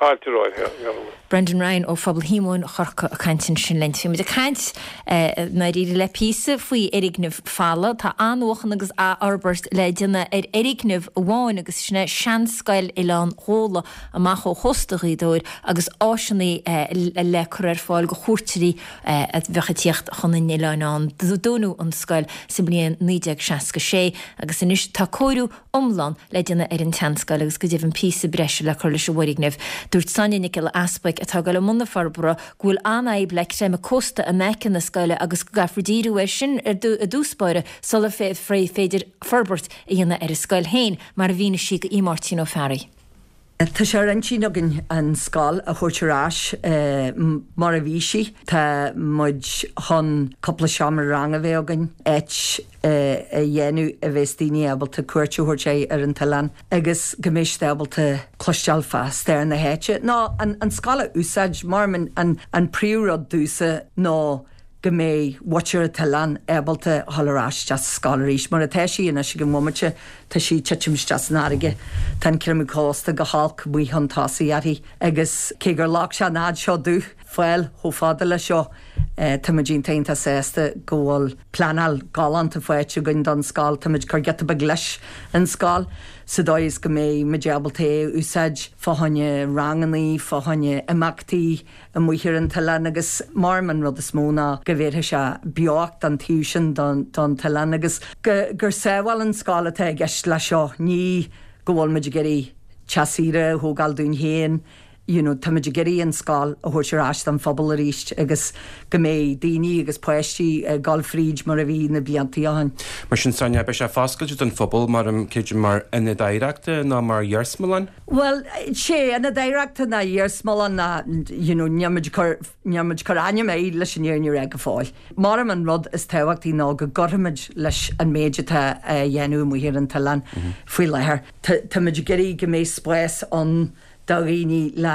Fáilte romhat. Brendan Ryan ó Phobal Shíomóin Chorca ag caint ansin linn. Bhí muid ag caint i ndáiríre le píosa faoi fhoirgnimh folamh. Tá athnuachan agus athfhorbairt le déanamh ar fhoirgneamh amháin agus sin é seanscoil Oileán Ghabhla amach ó chósta Ghaoth Dobhair agus áiseanna le cur ar fáil go chuairteoirí a bheadh ag tíocht chun an oileáin ann. Dúnadh an scoil sa mbliain naoi déag seasca sé agus anois tá cóiriú iomlán le déanamh ar an tseanscoil agus go deimhin píosa breise le cur leis an bhfoirgneamh. Dúirt Sonia Nic Giolla Easpaig, atá ag dul i mbun na forbartha, go bhfuil an-fhadhb le creimeadh cósta in aice na scoile agus go gcaithfear díriú air sin i dtús báire sular féidir forbairt a dhéanamh ar an scoil féin, mar a mhínigh sí do Mháirtín Ó Fearraigh. Tá sé ar intinn againn an scoil a thabhairt ar ais mar a bhí sí. Tá muid chun cúpla seomra ranga a bheith againn, áit a dhéanamh a bheas daoine ábalta cuairt a thabhairt ar an t-oileán agus go mbeidh siad ábalta cloisteáil fá stair na háite nó an scoil a úsáid mar an an príomhrud domhsa ná go mbeidh muintir an t-oileán ábalta a dhul ar ais isteach sa scoil arís. Mar atá sí anois ag an bhomaite, tá sí ag titim isteach san fharraige. Tá an creimeadh cósta go holc amuigh chun tosaigh uirthi agus cé gur ghlac sé an fhad seo dúinn fáil chomh fada leis seo, tá muid iontach iontach sásta go bhfuil pleanáil galánta faighte againn don scoil. Tá muid ag cur giota beag leis an scoil sa dóigh is go mbeidh muid ábalta é a úsáid fá choinne rangannaí, fá choinne imeachtaí amuigh ar an t-oileán agus mar an rud is mó ná go bhéarfaidh sé beocht don taobh sin don t-oileán agus gur sábháil an scoil atá i gceist leis seo, ní go bhfuil muid ag iarraidh teach saoire a thógáil dúinn féin, you know, tá muid ag iarraidh an scoil a thabhairt ar ais don phobal arís agus go mbeidh daoine agus páistí ag dul fríd mar a bhí na blianta ó shin. Mar sin Sonia, beidh sé foscailte don phobal mar creidim mar ionad oidhreachta nó mar iarsmalann? Bhuel, sé ionad oidhreachta ná iarsmalann ná you know, níl muid ag cur, níl muid ag cur ainm air leis an fhírinne a rá go fóill. Mar an rud is tábhachtaí ná go gcuirfimid leis an méid atá á dhéanamh amuigh ar an t-oileán faoi láthair. Tá muid ag iarraidh go mbeidh spás ann do dhaoine le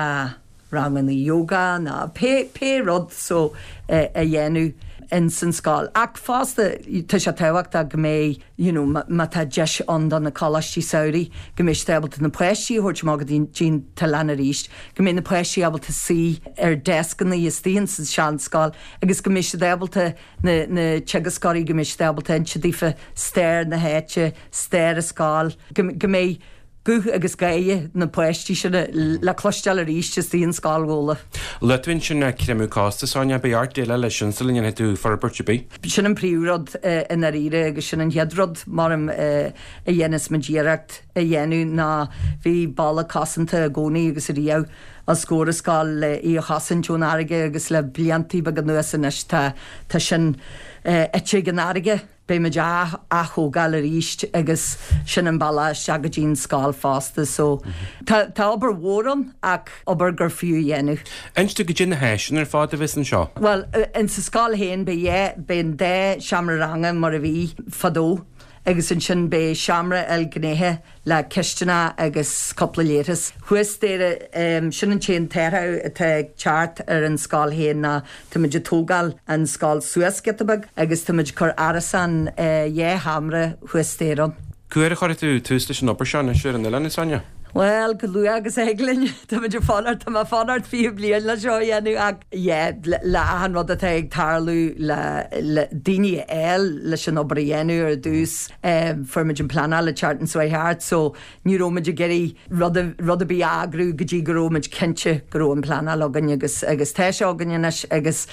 ranganna yoga ná pé pé rud so a dhéanamh ins an scoil. Ach fosta tá sé tábhachtach go mbeidh you know má tá deis ann do na coláistí samhraidh go mbeidh siad ábalta na páistí a thabhairt amach go dtí an t-oileán arís, go mbeidh na páistí ábalta suí ar deascanna istigh ins an seanscoil agus go mbeidh siad ábalta na na teagascóirí go mbeidh siad ábalta inse daofa stair na háite, stair an scoil, go go mbeidh guth agus gáire na páistí sin le cloisteáil arís istigh in Scoil Ghabhla. Luaigh tú ansin creimeadh cósta, Sonia, beidh ort déileáil leis sin sula ndéanfaidh tú forbairt ar bith. Sin an príomhrud i ndáiríre agus sin an chéad rud maram a dhéanfas muid iarracht a dhéanamh ná bhí balla cosanta i gcónaí agus ariamh os comhair an scoil le í a chosaint ón fharraige agus le blianta beaga anuas anois tá tá sin ite ag an fharraige. beidh muid á ath-thógáil arís agus sin an bealach isteach go dtí an scoil fosta so tá tá obair mhór ann ach obair gur fiú a dhéanamh. Inis dúinn goidé na háiseanna ar fad a bheas anseo. Bhuel, in sa scoil féin beidh beidh an dá seomra ranga mar a bhí fadó agus ansin beidh seomra ilghnéithe le cistineach agus cúpla leithreas. Thuas staighre, sin an t-aon t-athrú atá ag teacht ar an scoil féin ná táimid ag tógáil an scoil suas giota beag agus táimid ag cur árasán dhá sheomra thuas staighre ann. Cá huair a chuirfidh tú tús leis an obair seo anois ar an oileán, a Sonia? Bhuel, go luath agus a thig linn. Táimid ag fanacht, tá mé ag fanacht fiche bliain le seo a dhéanamh ach yeah, le achan rud atá ag tarlú le le daoine a fháil leis an obair a dhéanamh ar dtús, fuair muid an pleanáil ag teacht an seo thart so ní raibh muid ag iarraidh rud rud ar bith a eagrú go dtí go raibh muid cinnte go raibh an pleanáil againn agus agus tá sé againn anois agus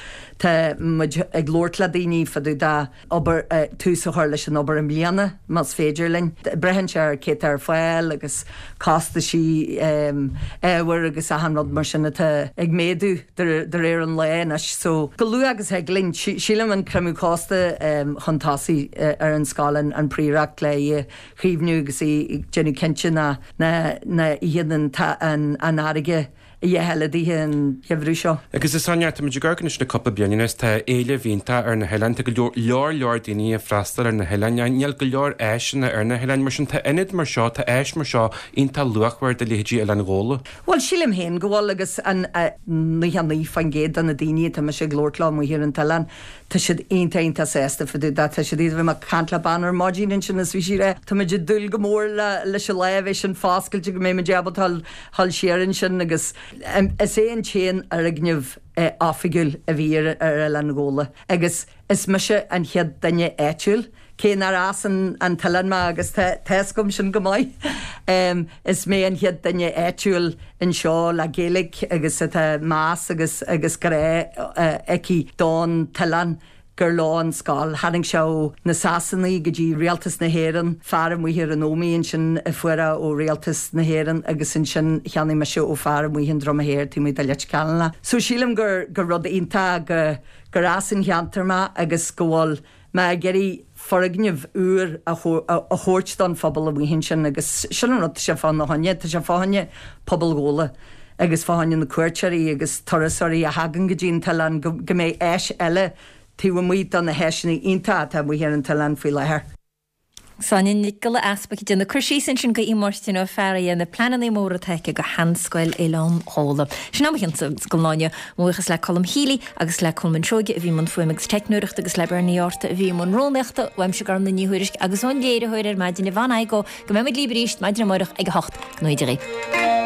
tá muid ag labhairt le daoine fá dtaobh de obair tús a chur leis an obair i mbliana más féidir linn. Braitheann sé ar cé atá ar fáil agus costaisí ábhair agus achan rud mar sin atá ag méadú de réir an lae anois. So go luath agus a thig linn. Sílim an creimeadh cósta chun tosaigh ar an scoil an phríoracht le í a chaomhnú agus í déanamh cinnte nach n-itheann an fharraige a dhath eile daoithe an geimhreadh seo. Agus a Sonia, táimid ag amharc anois le cúpla bliain anuas, tá éileamh iontach ar na hoileáin, tá go leor, leor, leor daoine ag freastal ar na hoileáin, níl go leor áiseanna ar na hoileáin, mar sin tá ionad mar seo, tá áis mar seo iontach luachmhar do leithéidí Oileán Ghabhla. Bhuel, sílim féin go bhfuil agus an naocha naoi faoin gcéad de na daoine atá mise ag labhairt leo amuigh ar an t-oileán, Tá siad iontach iontach sásta fá dtaobh de. Tá siad iad bhí mé ag caint le bean ar maidin ansin is bhí sí ag rá tá muid ag dúil go mór le leis an lá a bheidh sin foscailte go mbeidh muid ábalta dhul dhul siar ansin agus is é an t-aon fhoirgneamh oifigiúil a bhí ar ar Oileán Ghabhla agus is mise an chéad duine áitiúil cé nár as an an t-oileán mé agus tá tá fhios agam sin go maith is mé an chéad duine áitiúil anseo le Gaeilge agus atá meas agus agus grá aici don t-oileán gur leo an scoil. Tharraing sé ó na Sasanaigh go dtí Rialtas na hÉireann, fear amuigh ar an Ómaigh ansin a fuair é ó Rialtas na hÉireann agus ansin cheannaigh mise ó fear amuigh in Droma Thoir taobh amuigh de Leitir Ceanainn é. So sílim gur gur rud iontach go gur as an cheantar mé agus go bhfuil mé ag iarraidh foirgneamh úr a thabhairt don phobal amuigh ansin agus sin an rud, tá sé fá na choinne, tá sé fá choinne pobal Ghabhla agus fá choinne na cuairteoirí agus turasóirí a thagann go dtí an t-oileán go mbeidh áis eile taobh amuigh de na háiseanna iontacha atá amuigh ar an t-oileán faoi láthair. Sonia Nic Giolla Easpaig ag déanamh cur síos ansin go Máirtín Ó Fearraigh ar na pleananna móra atá aici do Sheanscoil Oileán Ghabhla. Sin am chionsa go láine buíochas le Colm Healy agus le Colman Seoige a bhí i mbun fuaime agus teicneoireachta agus le Bernie Orta a bhí i mbun rúnaíochta, uaimse Gormlaith Ní Thuairisg agus ón léiritheoir ar maidin Yvonne Igoe go mbeidh muid libh arís maidin amárach ag a hocht. Go ngnóthaí Dia dhaoibh.